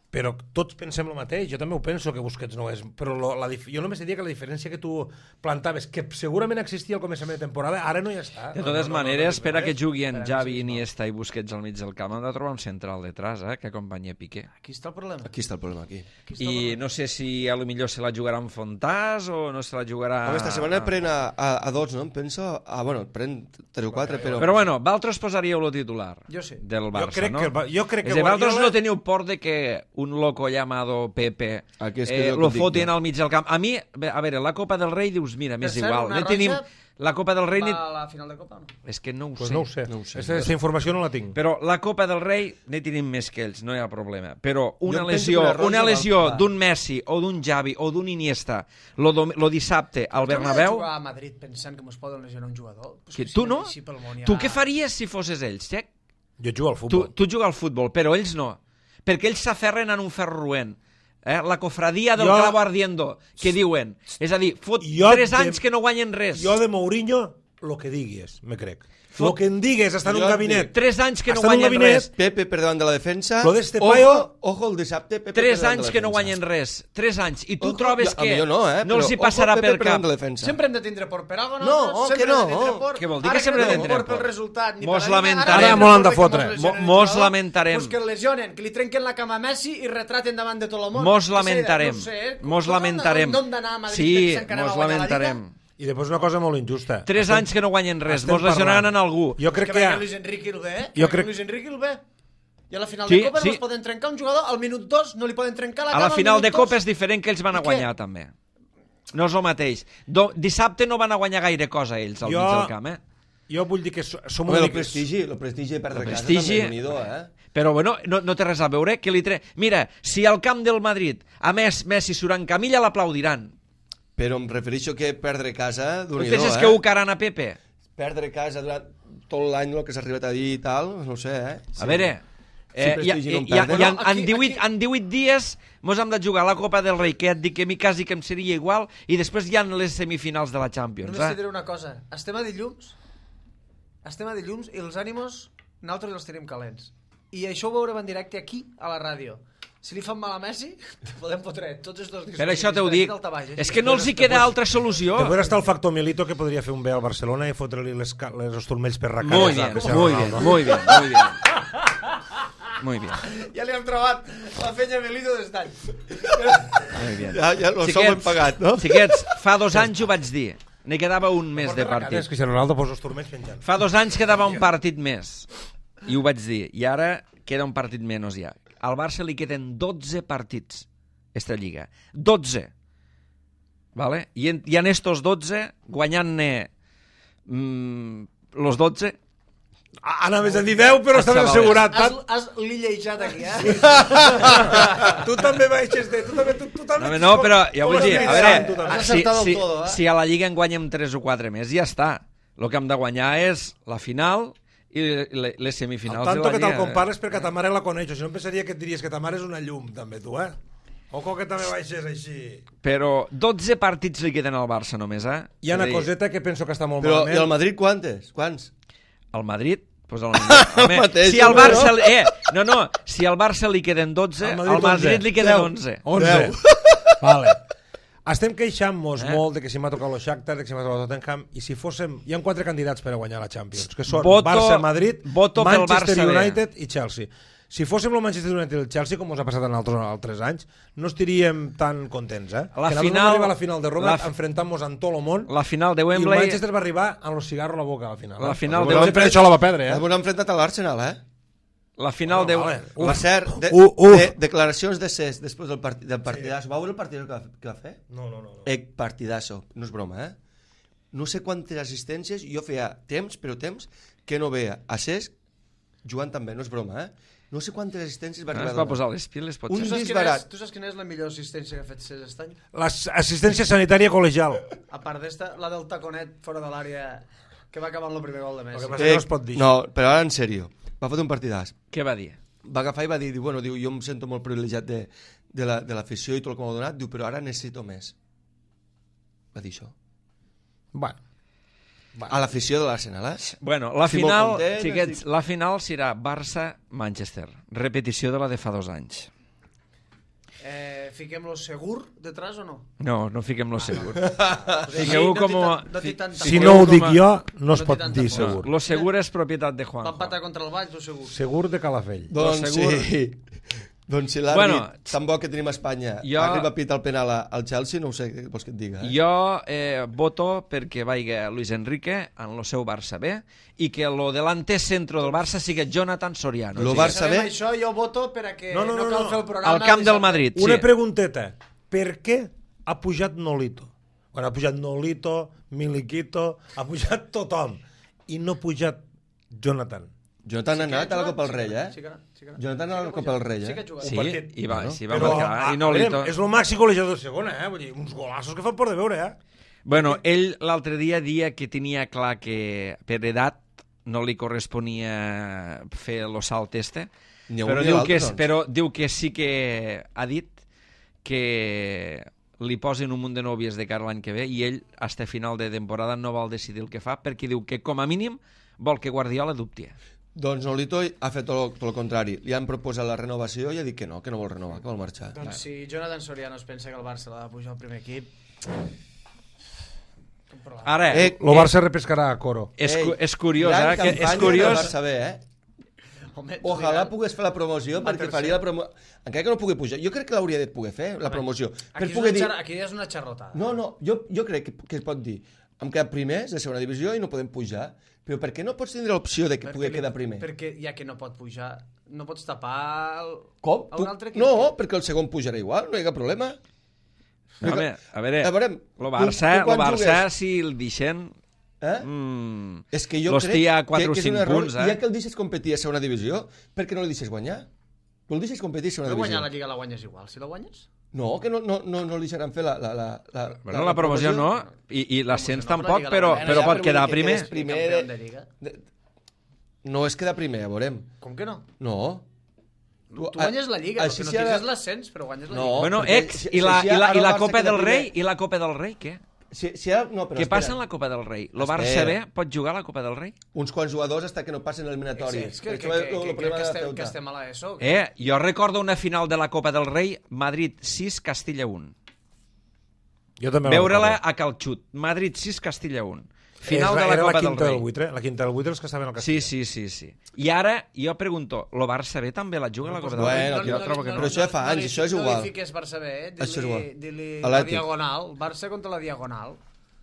Però tots pensem el mateix, jo també ho penso que Busquets no és, però lo, la, dif- jo només diria que la diferència que tu plantaves, que segurament existia al començament de temporada, ara no hi està. De No, totes no, no, maneres, no, per a que res. juguin Esperem, Xavi, sí, Iniesta i Busquets al mig del camp, hem de trobar un central detrás, eh, que acompanyi Piqué. Aquí està el problema. Aquí està el problema, aquí. Aquí està el I problema. no sé si a lo millor se la jugarà amb Fontàs o no se la jugarà... Home, esta setmana pren a, a, a dos, no? Em penso... Ah, bueno, pren tres o quatre, però... Però bueno, vosaltres posaríeu lo titular Jo sí. del Barça, crec no? que el Ba- jo crec que És a dir, vosaltres Guardiola- no teniu por de que un loco llamado Pepe Aquí és que eh, és el que lo et dic fotin jo. al mig del camp. A mi, bé, a veure, la Copa del Rei dius, mira, m'és Per cert, igual. una No tenim... roja La Copa del Rei... Va Ni... a la final de Copa o no? És que no ho Pues sé. no ho sé. No ho sé. Aquesta informació no la tinc. Però la Copa del Rei ne tenim més que ells, no hi ha problema. Però una Jo em penso lesió, que la roja una va- lesió va. d'un Messi o d'un Xavi o d'un Iniesta lo, dom- lo dissabte al Tu no has de Bernabéu... jugar a Madrid pensant que mos poden lesionar un jugador? Pues Que que tu si no? així pel món hi ha- Tu què faries si fosses ells, Txec? Jo jugo al Tu, futbol. tu jugues al futbol, però ells no. Perquè ells s'aferren en un ferro roent. Eh? La cofradia del Jo- clavo ardiendo, que diuen. És a dir, fot Jo tres de- anys que no guanyen res. Jo de Mourinho, lo que digues, me crec. Fot- Lo que em digues, està en un Jo et gabinet. Tres anys que no Està en un guanyen gabinet. res. Pepe per davant de la defensa. Lo d'este ojo, paio- ojo, el dissabte, Pepe Tres per davant de anys la que no defensa. guanyen res. Tres anys. I tu Ojo, trobes jo- a que millor no, eh? no però els hi ojo, passarà Pepe pel per davant cap. de la defensa. Sempre hem de tindre por per alguna No, cosa. que sempre no. hem de tindre por. Què vol dir Ara que sempre no hem de tenim tindre por pel por? resultat, ni Mos per la línia, lamentarem. ara Ara mos l'han de que fotre. mos lesionen Mo- mos un jugador, lamentarem. Pues que el lesionen, que li trenquen la cama a Messi i retraten davant de tot el món. Mos Que sé, lamentarem. No ho sé, Mos com- lamentarem. Com d'anar a Madrid Sí, pensant que anem a mos guanyar la lamentarem. Lliga? I després una cosa molt injusta. Tres anys que no guanyen res. estem Mos lesionaran parlant. en algú. Jo crec que que... perquè ha- Luis Enrique el ve, Jo jo crec- crec... Luis Enrique el ve. I a la final Sí, de Copa sí. no es poden trencar un jugador, al minut dos no li poden trencar la A cama la al final minut de dos. Copa és diferent que ells van a I què? guanyar, també. No és el mateix. Do, dissabte no van a guanyar gaire cosa ells al Jo- mig del camp, eh? Jo vull dir que so- som Home, una el mica... prestigi, el prestigi de perdre El casa prestigi- també és unido, eh? Però bueno, no, no té res a veure que li tre... Mira, si al camp del Madrid, a més, Messi surt en camilla, l'aplaudiran. Però em refereixo que perdre casa, Tu d'un penses eh? que ho caran a Pepe? Perdre casa durant tot l'any, el que s'ha arribat a dir i tal, no ho sé, eh? A veure... Eh, Si i, prestigi i, no en i, i, perden. en, No, en, aquí- divuit, aquí- en divuit dies mos hem de jugar a la Copa del Rei, que et dic que a mi quasi que em seria igual, i després hi ha les semifinals de la Champions. Només t'hi Eh? diré una cosa. Estem a dilluns, estem a dilluns i els ànimos nosaltres els tenim calents. I això ho veurem en directe aquí, a la ràdio. Si li fan mal a Messi, podem fotre tots els dos dies. Per això t'ho dic. És que no els hi Després- queda altra solució. Després està el factor Milito, que podria fer un bé al Barcelona i fotre-li les, ca- les, els turmells per racar. Muy bien, muy bien, muy bien, muy bien. Muy bien, Ja li hem trobat la fenya Melito des d'any. muy bien. Ja, ja el sou ben pagat, no? Xiquets, fa dos anys ho vaig dir. Ne quedava un mes de És partit. que si Ronaldo posa els turmells penjant. Fa dos anys quedava un partit més. I ho vaig dir. I ara queda un partit menys ja. Al Barça li queden dotze partits esta lliga. dotze. Vale? I en, i en estos dotze, guanyant-ne mm, los dotze, Anaves a dir deu, però Ah, estava xavales. assegurat. Has, Pat. has lillejat aquí, eh? Tu també baixes de... Tu també, tu, tu també no, no, però ja vull dir, a veure, Tu també. Has si, acertat del si, todo, eh? si a la Lliga en guanyem tres o quatre més, ja està. El que hem de guanyar és la final i le- les El semifinals tanto de la que Lliga. te'l compares perquè ta mare la coneixo. Si no em pensaria que et diries que ta mare és una llum, també, tu, eh? Ojo que també baixes així. Però dotze partits li queden al Barça només, eh? Hi ha una És a dir, coseta que penso que està molt Però, malament. i el Madrid quantes? Quants? El Madrid... Pues el, home, mateix, si al no? Barça... li- Eh, no, no, si al Barça li queden dotze, Al al Madrid Madrid, onze. li queden Deu. onze. onze. Vale. Estem queixant-nos Eh? molt de que si m'ha tocat el Shakhtar, de que si m'ha tocat el Tottenham, i si fóssim... Hi ha quatre candidats per a guanyar la Champions, que són Voto- Barça, Madrid, voto pel Manchester Barça B. United i Chelsea. Si fóssim el Manchester United i el Chelsea, com us ha passat en altres, altres anys, no estaríem tan contents, eh? La que nosaltres final- vam arribar a la final de Roma la fi- enfrentant-nos amb tot el món, La final de i el Wembley... Manchester va arribar amb los cigarros a la boca a la final. La eh? final Potser de per Wembley- això la va perdre, eh? Ens hem enfrontat a l'Arsenal, eh? La final de... Vale. Per cert, de, Uh, uh. de, declaracions de Cesc després del, part, del partidasso. Va veure el partidasso que va, que va fer? No, no, no. no. Eh, partidasso, no és broma, eh? No sé quantes assistències, jo feia temps, però temps, que no veia a Cesc jugant també, no és broma, eh? No sé quantes assistències va No, arribar es a va donar. posar les piles, Un potser. Tu saps, quina disbarat. és, tu saps quina és la millor assistència que ha fet Cesc aquest any? L'assistència sanitària col·legial. A part d'esta, la del taconet fora de l'àrea que va acabar amb el primer gol de El Messi. que passa que no es pot dir. no, però ara en sèrio, va fotre un partidàs. Què va dir? Va agafar i va dir, diu, bueno, diu, jo em sento molt privilegiat de, de la- de l'afició la, i tot el que m'ha donat, diu, però ara necessito més. Va dir això. Bueno. A l'afició de l'Arsenal, eh? Bueno, la Estic molt final, content, xiquets, estic- la final serà Barça-Manchester. Repetició de la de fa dos anys. Eh, Fiquem-lo segur detrás o no? No, no fiquem lo segur. Pues Fiqueu no com té a- tant- no té tanta Si força. no ho com dic a- jo, no es no té pot tanta dir força. segur. Lo segur és propietat de Va Juanjo. empatar contra el Valls, o segur? Segur de Calafell. Doncs segur. sí. Doncs si l'àrbit Bueno, tan bo que tenim a Espanya jo- arriba a pitar el penal a- al Chelsea, no ho sé què vols que et diga. Eh? Jo eh, voto perquè vaiga Luis Enrique en el seu Barça B i que lo delante centro del Barça sigui Jonathan Soriano. Lo Sí. Barça Sabem B- això, jo voto per a que No, no, no, no, cal no. fer el programa. Al camp del dissabte. Madrid, sí. Una pregunteta. Per què ha pujat Nolito? Bueno, ha pujat Nolito, Miliquito, ha pujat tothom. I no ha pujat Jonathan. Jonathan ha Sí que ha anat a la jugat, Copa del sí Rei, que- eh? sí que- sí que- Jonathan sí a que la ha Copa jugat, del Rei, sí eh? que ha jugat. Sí, Un partit. i va, Bueno, sí, va Però, marcar. ah, I Nolito... veurem, és el màxim golejador de segona, eh? Vull dir, uns golaços que fan por de veure, eh? Bueno, ell l'altre dia dia que tenia clar que per edat no li corresponia fer el salt este, Ni a un però ni a diu, l'altre, que, és- doncs. però diu que sí que ha dit que li posin un munt de nòvies de cara a l'any que ve i ell, hasta final de temporada, no vol decidir el que fa perquè diu que, com a mínim, vol que Guardiola dubti. Doncs Nolito ha fet tot, tot el contrari. Li han proposat la renovació i ha dit que no, que no vol renovar, que vol marxar. Doncs si Jonathan Soriano es pensa que el Barça l'ha de pujar al primer equip... un problema. Ara, Eh, El Barça repescarà a Coro. és, cu- Ei, és curiós, gran eh? Que campanya és curiós... del Barça B, eh? Home, Ojalà Mira, pogués fer la promoció, Va perquè tercer. faria la promoció... Encara que no pugui pujar. Jo crec que l'hauria de poder fer, la promoció. Aquí, Per és poder una dir... xar... aquí és una xarrotada. No, no, jo, jo crec que, que es pot dir hem quedat primers de segona divisió i no podem pujar, però per què no pots tindre l'opció de que pugui li- quedar primer? Perquè ja que no pot pujar, no pots tapar el... Com? a Tu... un altre equip. No, perquè el segon pujarà igual, no hi ha cap problema. A veure, a veure, A veure, lo tu- Barça, tu quan lo Barça jugues- si el deixen... Eh? Mm, És que jo l'hòstia, crec a quatre que, o que és cinc un error, punts, eh? ja que el deixes competir a segona divisió, per què no el deixes guanyar? Tu el deixes competir a segona Però divisió. guanyar la Lliga la guanyes igual, si la guanyes? No, que no, no, no, no li deixaran fer la... la, la, la, Bueno, la promoció no, i, i l'ascens Promoció no, tampoc, però però, la Lliga la però guanyes. pot Ja, però quedar vull dir que primer. quedes primer Campió de- de Lliga. De... No és quedar primer, ja veurem. Com que no? No. Tu, tu guanyes la Lliga, així perquè no si ara- tens l'ascens, però guanyes la No. Lliga. Bueno, perquè ex, si- i la, si i la, ara i la el Barça Copa queda del Rei, primer- i la Copa del Rei, què? Si, si ara... No, però Què espera. passa en la Copa del Rei? Lo Espera. Barça B pot jugar a la Copa del Rei? Uns quants jugadors hasta que no passen l'eliminatori. És que, que, Això que, és que, el que, problema que, de la estem, Ceuta. que estem a l'ESO. Eh, jo recordo una final de la Copa del Rei, Madrid sis, Castilla un. Jo també la Veure-la recordo. a Calxut. Madrid sis, Castilla un. Final És de la era Copa la del quinta Rei. del buitre, la quinta del buitre els que estaven al Sí, Castilla. sí, sí, sí. I ara, jo pregunto, lo Barça B també la juga a la Copa del Rei? Bueno, Jo trobo que no. però això ja fa anys, li- això és No igual. li fiques Barça B, eh? Això és igual. Dili, dili la Atlètic. Diagonal, Barça contra la Diagonal.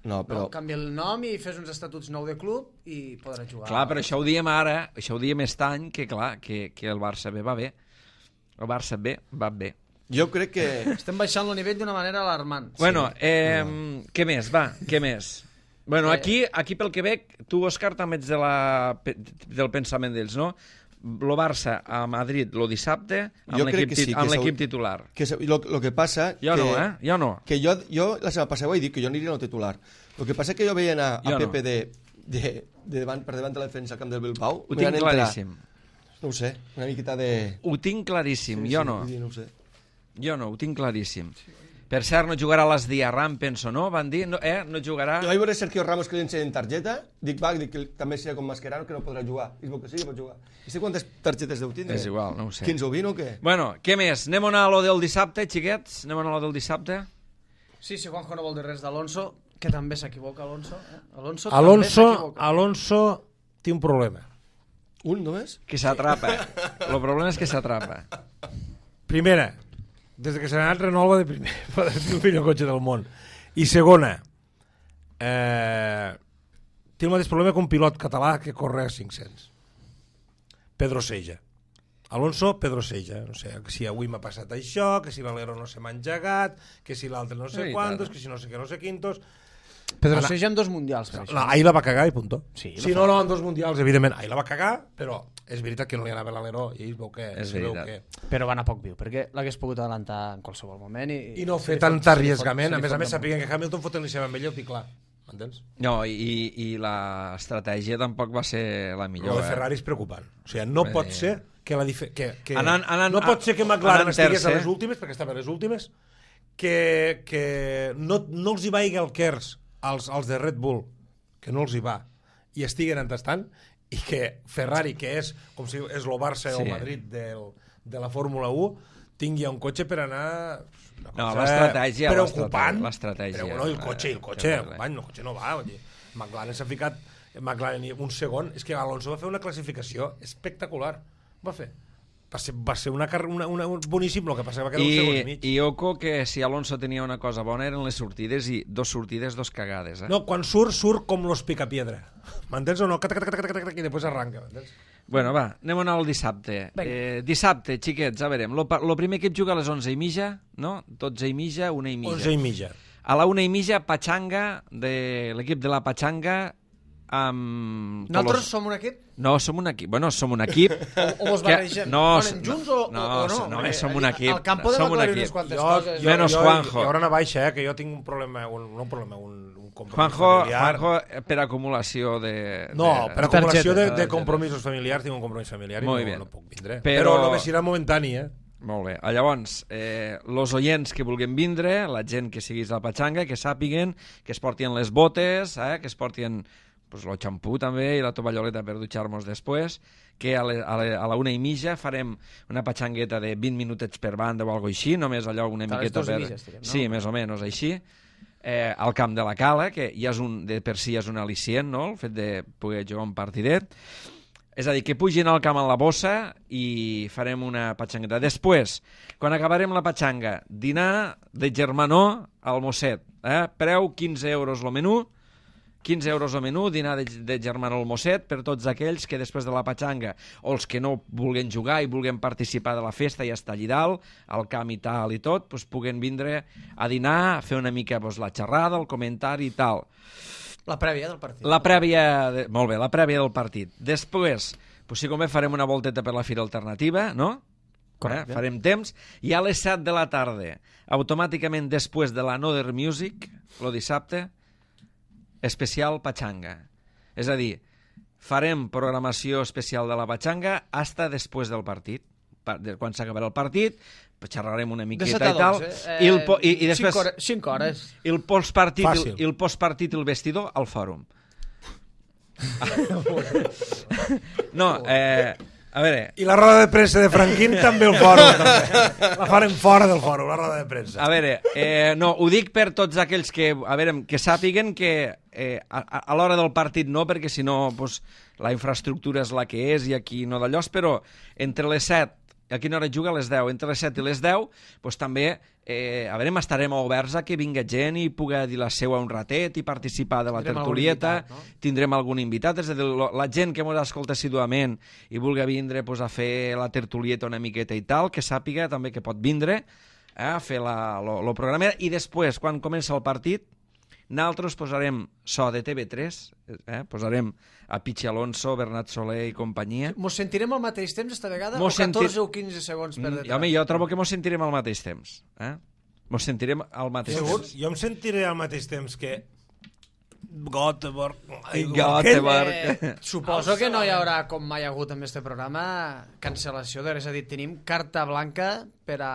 No, però... No? Canvia el nom i fes uns estatuts nou de club i podrà jugar. Clar, però això ho diem ara, això ho diem aquest any, que clar, que, que el Barça B va bé. El Barça B va bé. Jo crec que... Estem baixant el nivell d'una manera alarmant. Bueno, eh, què més, va, què més? Bueno, Eh. aquí, aquí pel que veig, tu, Òscar, també ets de la, pe- del pensament d'ells, no? Lo Barça a Madrid lo dissabte amb Jo crec l'equip que sí, tit- que amb s'hau- l'equip titular. que se- lo, lo que passa... Jo que, no, eh? Jo no. Que jo, jo la setmana passada ho he dit, que jo aniria al titular. El que passa que jo veia anar a Jo no. Pepe de, de, de davant, per davant de la defensa al camp del Bilbao. Ho me tinc van entrar. claríssim. No ho sé, una miqueta de... Ho tinc claríssim, Sí, jo sí, no. vull dir, no ho sé. Jo no, ho tinc claríssim. Per cert, no jugarà les Diarram, penso, no? Van dir, no, eh? No jugarà... Jo vaig veure Sergio Ramos que li ensenyen targeta, dic, va, dic que també serà com Mascherano, que no podrà jugar. I es veu que sí, que pot jugar. I sé quantes targetes deu tindre? És igual, no ho sé. quinze o vint o què? Bueno, què més? Anem a anar a lo del dissabte, xiquets? Anem a anar a lo del dissabte? Sí, si Juanjo no vol dir res d'Alonso, que també s'equivoca, Alonso. Eh? Alonso, Alonso, també s'equivoca. Alonso té un problema. Un només? Que s'atrapa. El problema és que s'atrapa. Primera, des que s'ha anat renova de primer, per el millor cotxe del món. I segona, eh, té el mateix problema que un pilot català que corre a cinc-cents. Pedro Seja. Alonso, Pedro Seja. No sé, que si avui m'ha passat això, que si Valero no se m'ha engegat, que si l'altre no sé quantos, que si no sé què, no sé quintos... Pedro Ana... Seja en dos mundials, per això. No, ahir la va cagar i punto. Sí, sí no, no, en dos mundials, evidentment. Ahir la va cagar, però és veritat que no li anava l'aleró i ell veu que... És veu veritat. que... Però va anar poc viu, perquè l'hagués pogut adelantar en qualsevol moment. I, I no fer se li tant fot- se li arriesgament. fot- A més a se li més, fot sapiguen que Hamilton fotent l'iniciativa amb ell, ho dic clar. M'entens? No, i, i l'estratègia tampoc va ser la Lo millor. de Ferrari és preocupant. O sigui, no Bé. pot ser que la dife... que, que... Anant- anant- no pot ser que McLaren anant estigués a tercer. les últimes, perquè estava a les últimes, que, que no, no els hi vagi el Kers als, als de Red Bull, que no els hi va, i estiguen entestant, i que Ferrari, que és com si és el Barça Sí. o Madrid del, de la Fórmula u, tingui un cotxe per anar... una No, cosa l'estratègia, preocupant, l'estratègia. però no, el cotxe, el cotxe, Eh, company, el cotxe no va, vull dir, McLaren s'ha ficat McLaren un segon, és que Alonso va fer una classificació espectacular, va fer va ser, va ser una, car- una, una, un boníssim, el que passava que era un segon i I, mig. I oco que si Alonso tenia una cosa bona eren les sortides, i dos sortides, dos cagades. Eh? No, quan surt, surt com los picapiedra. M'entens o no? Cata, cata, cata, cata, cata, i després arranca, m'entens? Bueno, va, anem a anar al dissabte. Eh, dissabte, xiquets, a veure, lo, pa- lo primer equip juga a les onze i mitja, no? dotze i mitja, una i mitja. onze i mitja. A la una i mitja, Pachanga, de l'equip de la Pachanga, amb... Nosaltres Tolos- som un equip? No, som un equip. Bueno, som un equip... O, o vos que- barregem? No, Anem junts o, no, o, o no? no, Perquè som un equip. Al camp podem som un aclarir equip. unes quantes Jo, coses. jo, Menos jo, Juanjo. Jo ara una baixa, eh, que jo tinc un problema, un, no un problema, un, un compromís Juanjo, familiar. Juanjo, eh, per acumulació de... No, de, per acumulació de, targeta. de compromisos familiars, tinc un compromís familiar i Molt no, bé. no puc vindre. Però- Però només serà momentani, eh? Molt bé. Ah, Llavors, eh, los oients que vulguin vindre, la gent que siguis a la Pachanga, que sàpiguen que es portien les botes, eh, que es portien pues, el xampú també i la tovalloleta per dutxar-nos després, que a, le, a, le, a la una i mitja farem una patxangueta de vint minutets per banda o alguna així, només allò una A les miqueta dos i per... mitja, estirem, no? Sí, més o menys així. Eh, al camp de la Cala, que ja és un, de per si és un al·licient, no?, el fet de poder jugar un partidet. És a dir, que pugin al camp en la bossa i farem una patxangueta. Després, quan acabarem la patxanga, dinar de germanó al Mosset. Eh? Preu quinze euros el menú, quinze euros el menú, dinar de, de germanó al Mosset per tots aquells que després de la patxanga o els que no vulguin jugar i vulguin participar de la festa i estar allà dalt, al camp i tal i tot, doncs puguen vindre a dinar, a fer una mica doncs, la xerrada, el comentari i tal. La prèvia del partit. La prèvia, de... molt bé, la prèvia del partit. Després, pues, si convé, farem una volteta per la Fira Alternativa, no? Correcte. Eh? Farem temps. I a les set de la tarda, automàticament després de la Another Music, el dissabte, especial Pachanga. És a dir, farem programació especial de la Pachanga hasta després del partit. Pa- de- Quan s'acabarà el partit, xerrarem una De miqueta set a i tal. dotze. Eh, I, el po i, i després... cinc hores. cinc hores. I el postpartit, Fàcil. i el postpartit i el vestidor al fòrum. No, eh, a veure, I la roda de premsa de Franquín també el fòrum. També. La farem fora del fòrum, la roda de premsa. a veure, eh, no, ho dic per tots aquells que, a veure, que sàpiguen que eh, a, a, a l'hora del partit no, perquè si no pues, la infraestructura és la que és i aquí no d'allò, però entre les set, a quina hora juga? A les deu. Entre les set i les deu, pues, també, eh, a veure, estarem oberts a que vinga gent i pugui dir la seua un ratet i participar de la Tindrem algun tertulieta. invitat, no? Tindrem algun invitat, és a dir, lo- la gent que ens escolta assiduament i vulgui vindre pues, a fer la tertulieta una miqueta i tal, que sàpiga també que pot vindre eh, a fer la, lo, lo programa. I després, quan comença el partit, nosaltres posarem so de T V tres, eh, posarem a Pichi Alonso, Bernat Soler i companyia. Mos sentirem al mateix temps esta vegada Mos o catorze sentir- o quinze segons per Mm, detrás? home, jo trobo que mos sentirem al mateix temps. Eh? Mos sentirem al mateix Segur? temps. Jo em sentiré al mateix temps que Göteborg... Göteborg. Eh, suposo que no hi haurà, com mai ha hagut en este programa, cancel·lació de res. És a dir, tenim carta blanca per a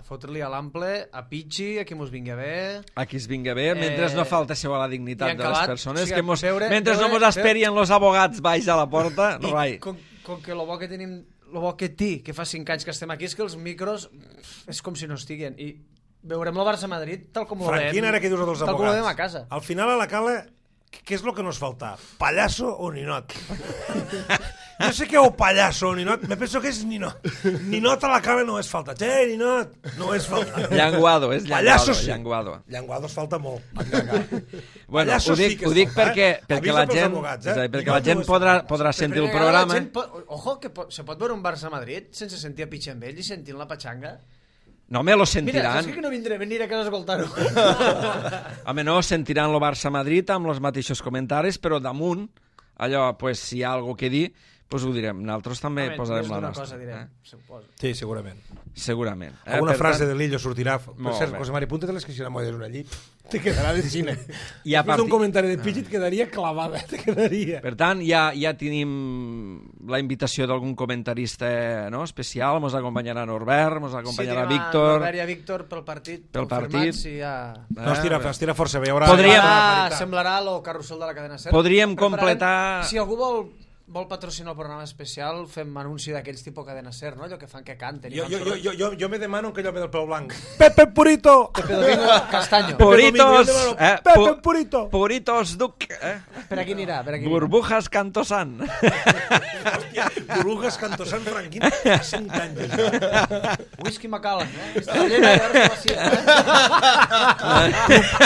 fotre-li a l'ample, a Pichi, a qui mos vingui a bé... A qui es vinga bé, mentre no falteixeu a la dignitat i de les acabat, persones, o sigui, que mos, veure- mentre veure- no mos esperien los abogats baix a la porta, I rai. com, com que lo bo que tenim, lo bo que té, que fa cinc anys que estem aquí, és que els micros és com si no estiguen. I veurem el Barça-Madrid tal com ho veiem. Franquín, ara que dius dels tal com ho abogats. veiem a casa. Al final a la cala, què és el que nos falta? ¿Payaso o ninot? No sé què o payaso o ninot, me penso que és ninot. Ninot a la cala no és falta. Che, ninot, no és falta. Llanguado, és Pallasso llanguado. sí. Llanguado. Llanguado es falta molt. Bueno, Pallasso ho dic, sí que ho es dic falta, perquè, eh? perquè Avisa la pels gent, abogats, eh? és a dir, perquè Ninot la gent no és podrà, falta. podrà Per sentir el primera vegada programa. la gent pot, ojo, que pot, se pot veure un Barça-Madrid sense sentir a Pitxembell i sentint la patxanga. No, home, lo Mira, sentiran. saps que no vindré, venir a casa a escoltar-ho. Home, no, sentiran lo Barça-Madrid amb els mateixos comentaris, però damunt, allò, pues, si hi ha alguna que dir, pues ho direm. Nosaltres també Home, posarem més la d'una nostra. cosa direm, eh? suposo. Sí, segurament. Segurament. Eh? Alguna Per frase tant, de Lillo sortirà. Per Molt cert, bé. José Mari, punta-te-les que si no m'ho una llit. Te quedarà de cine. I a Després partir- d'un comentari de Pidgey et quedaria clavada, te quedaria. Per tant, ja, ja tenim la invitació d'algun comentarista, no?, especial. Mos acompanyarà Norbert, mos acompanyarà sí, Víctor. Norbert i a Víctor pel partit. Pel confirmat, partit. Sí, ja... No, es tira, es tira força bé. Hi haurà... Podríem- hi haurà Semblarà, paritat. semblarà lo carrusel de la cadena SER. Podríem Preparem- completar- Si algú vol, vol patrocinar el programa especial, fem anunci d'aquells tipus cadena SER, no? Allò que fan que canten. i Jo, fan jo, jo, soroll. jo, jo, jo me demano que allò ve del pèl blanc. Pepe Purito! Pepe Domingo Castaño. Puritos, Domingo, eh? Pepe pu- Purito. Puritos Duc, eh? Per aquí anirà, per aquí anirà. Burbujas Cantosan. Hòstia, Burbujas Cantosant Franquín fa cinc anys. Ja. Whisky Macallan, eh? Està llena i ara se vacía, eh?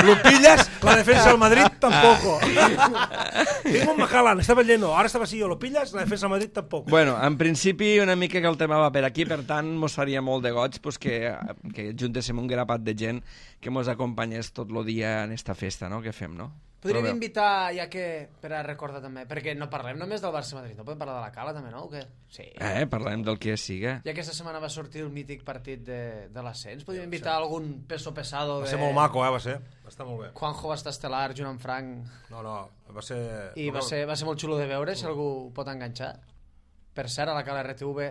Lo pillas, la defensa del Madrid tampoco. Tengo un Macallan, estaba lleno, ahora está vacío. Lo pillas, la defensa del Madrid tampoco. Bueno, en principi una mica que el tema va per aquí, per tant mos faria molt de goig pues, que, que juntéssim un grapat de gent que mos acompanyés tot el dia en esta festa, no?, que fem, no? Podríem Però bé. invitar, ja que, per a recordar també, perquè no parlem només del Barça-Madrid, no podem parlar de la Cala també, no? O què? Sí. Eh, parlem del que siga. Ja que aquesta setmana va sortir el mític partit de, de l'ascens, podríem invitar algun peso pesado Va de... ser molt maco, eh, va ser. Va estar molt bé. Juanjo va estar estel·lar, junt amb Frank, No, no, va ser... i va ser, va ser molt xulo de veure, si algú pot enganxar. Per cert, a la Cala R T V...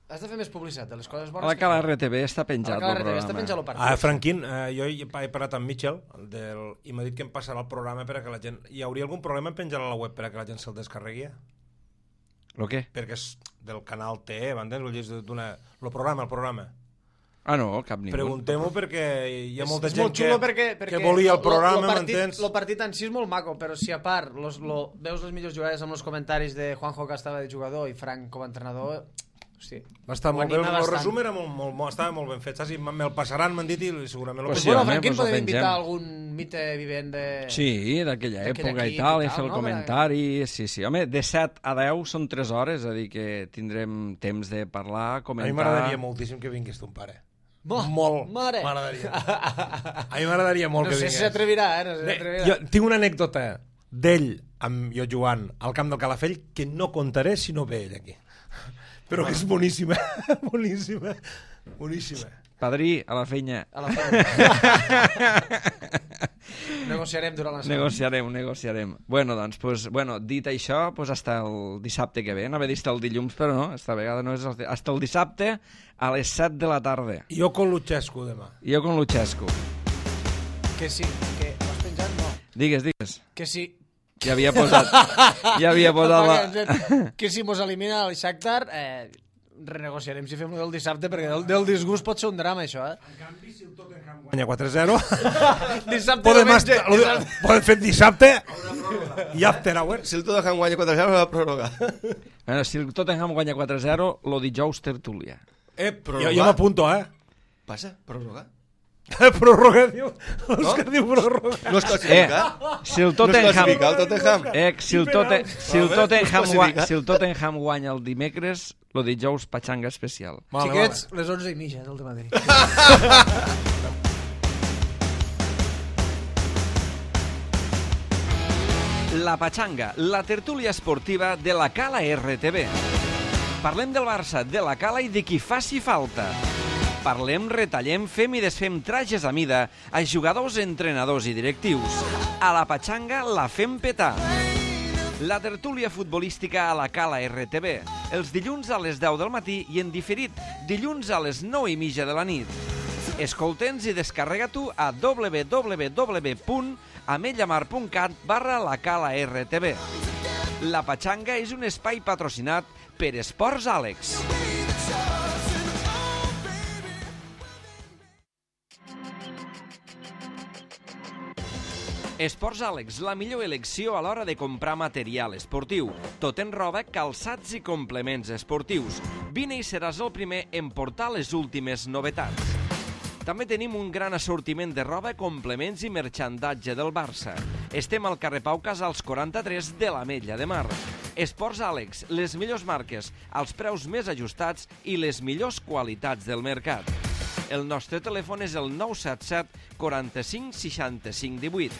Has de fer més publicitat de les coses A bones. la que Cala fem. R T V està A penjat la Cala el R T V està programa. penjat el partit. Ah, Franquín, eh, jo he, he parlat amb Mitchell del, i m'ha dit que em passarà el programa per a que la gent... Hi hauria algun problema en penjar a la web per a que la gent se'l descarregui? Lo què? Perquè és del canal T E, m'entens? Vull dir, és d'una... El programa, el programa. Ah, no, cap ningú. Preguntem-ho perquè hi ha És- molta és gent molt xulo que, perquè, perquè que volia el lo- lo- programa, lo partit- m'entens? El partit en si és molt maco, però si a part los, lo, veus les millors jugades amb els comentaris de Juanjo, que estava de jugador, i Frank com a entrenador, hosti, Va estar ho molt bé, anima el bastant. resum era molt, molt, molt, estava molt ben fet, saps? I me'l passaran, m'han dit, i segurament el Pues Pues sí, bueno, home, Franquín pues ho podem pengem. invitar algun mite vivent de... Sí, d'aquella D'aquell època i equip tal, i i tal, fer el no? comentari, sí, sí. Home, de set a deu són tres hores, és a dir que tindrem temps de parlar, A mi comentar... m'agradaria moltíssim que vingués ton pare. Bo, molt, mare. m'agradaria. A mi m'agradaria molt No que sé vingués. si s'atrevirà, eh? No sé si Bé, s'atrevirà. jo tinc una anècdota d'ell, amb jo jugant al camp del Calafell, que no contaré si no ve ell aquí. Però que és boníssima, boníssima, boníssima. Padrí, a la feina. A la feina. Negociarem durant la setmana. Negociarem, negociarem. Bueno, doncs, pues, bueno, dit això, pues hasta el dissabte que ve. Anava a dir hasta el dilluns, però no, esta vegada no és... el- Hasta el dissabte a les set de la tarda. Jo con Luchescu demà. Jo con Luchescu. Que sí, que ho has penjat? No. Digues, digues. Que sí. Ja havia posat... Ja havia posat la... Que si mos elimina el Shakhtar, eh, renegociarem si fem-ho del dissabte, perquè del, del disgust pot ser un drama, això, eh? Guanya quatre zero. Dissabte, Podem, diumenge, estar, dissabte. podem fer dissabte i after hour. Si el Tottenham guanya quatre zero, va prorrogar. Bueno, si el Tottenham guanya quatre zero, lo dijous tertúlia. Eh, Prorrogar. jo, jo m'apunto, eh? Passa, prorrogar. Prorroga, diu. L'Òscar diu prorroga. No es Eh, classifica. si el No es Tottenham... classifica el Tottenham. Eh, si el, Tote, si, el Vale, Tottenham pues guanya, classifica. si el Tottenham guanya el dimecres, lo dijous patxanga especial. Vale, Xiquets, les onze i mitja del dematí. La Patxanga, la tertúlia esportiva de la Cala R T V. Parlem del Barça, de la Cala i de qui faci falta. Parlem, retallem, fem i desfem trajes a mida a jugadors, entrenadors i directius. A la Patxanga la fem petar. La tertúlia futbolística a la Cala R T V, els dilluns a les deu del matí i en diferit, dilluns a les nou i mitja de la nit. Escolta'ns i descarrega-t'ho a w w w punt ametllamar punt cat barra la Cala R T V. La Patxanga és un espai patrocinat per Esports Àlex. Esports Àlex, la millor elecció a l'hora de comprar material esportiu. Tot en roba, calçats i complements esportius. Vine i seràs el primer en portar les últimes novetats. També tenim un gran assortiment de roba, complements i merxandatge del Barça. Estem al carrer Pau Casals quaranta-tres de l'Ametlla de Mar. Esports Àlex, les millors marques, els preus més ajustats i les millors qualitats del mercat. El nostre telèfon és el nou set set quaranta-cinc seixanta-cinc divuit.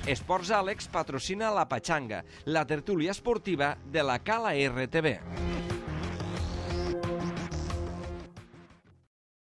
Esports Àlex patrocina la Patxanga, la tertúlia esportiva de la Cala R T V.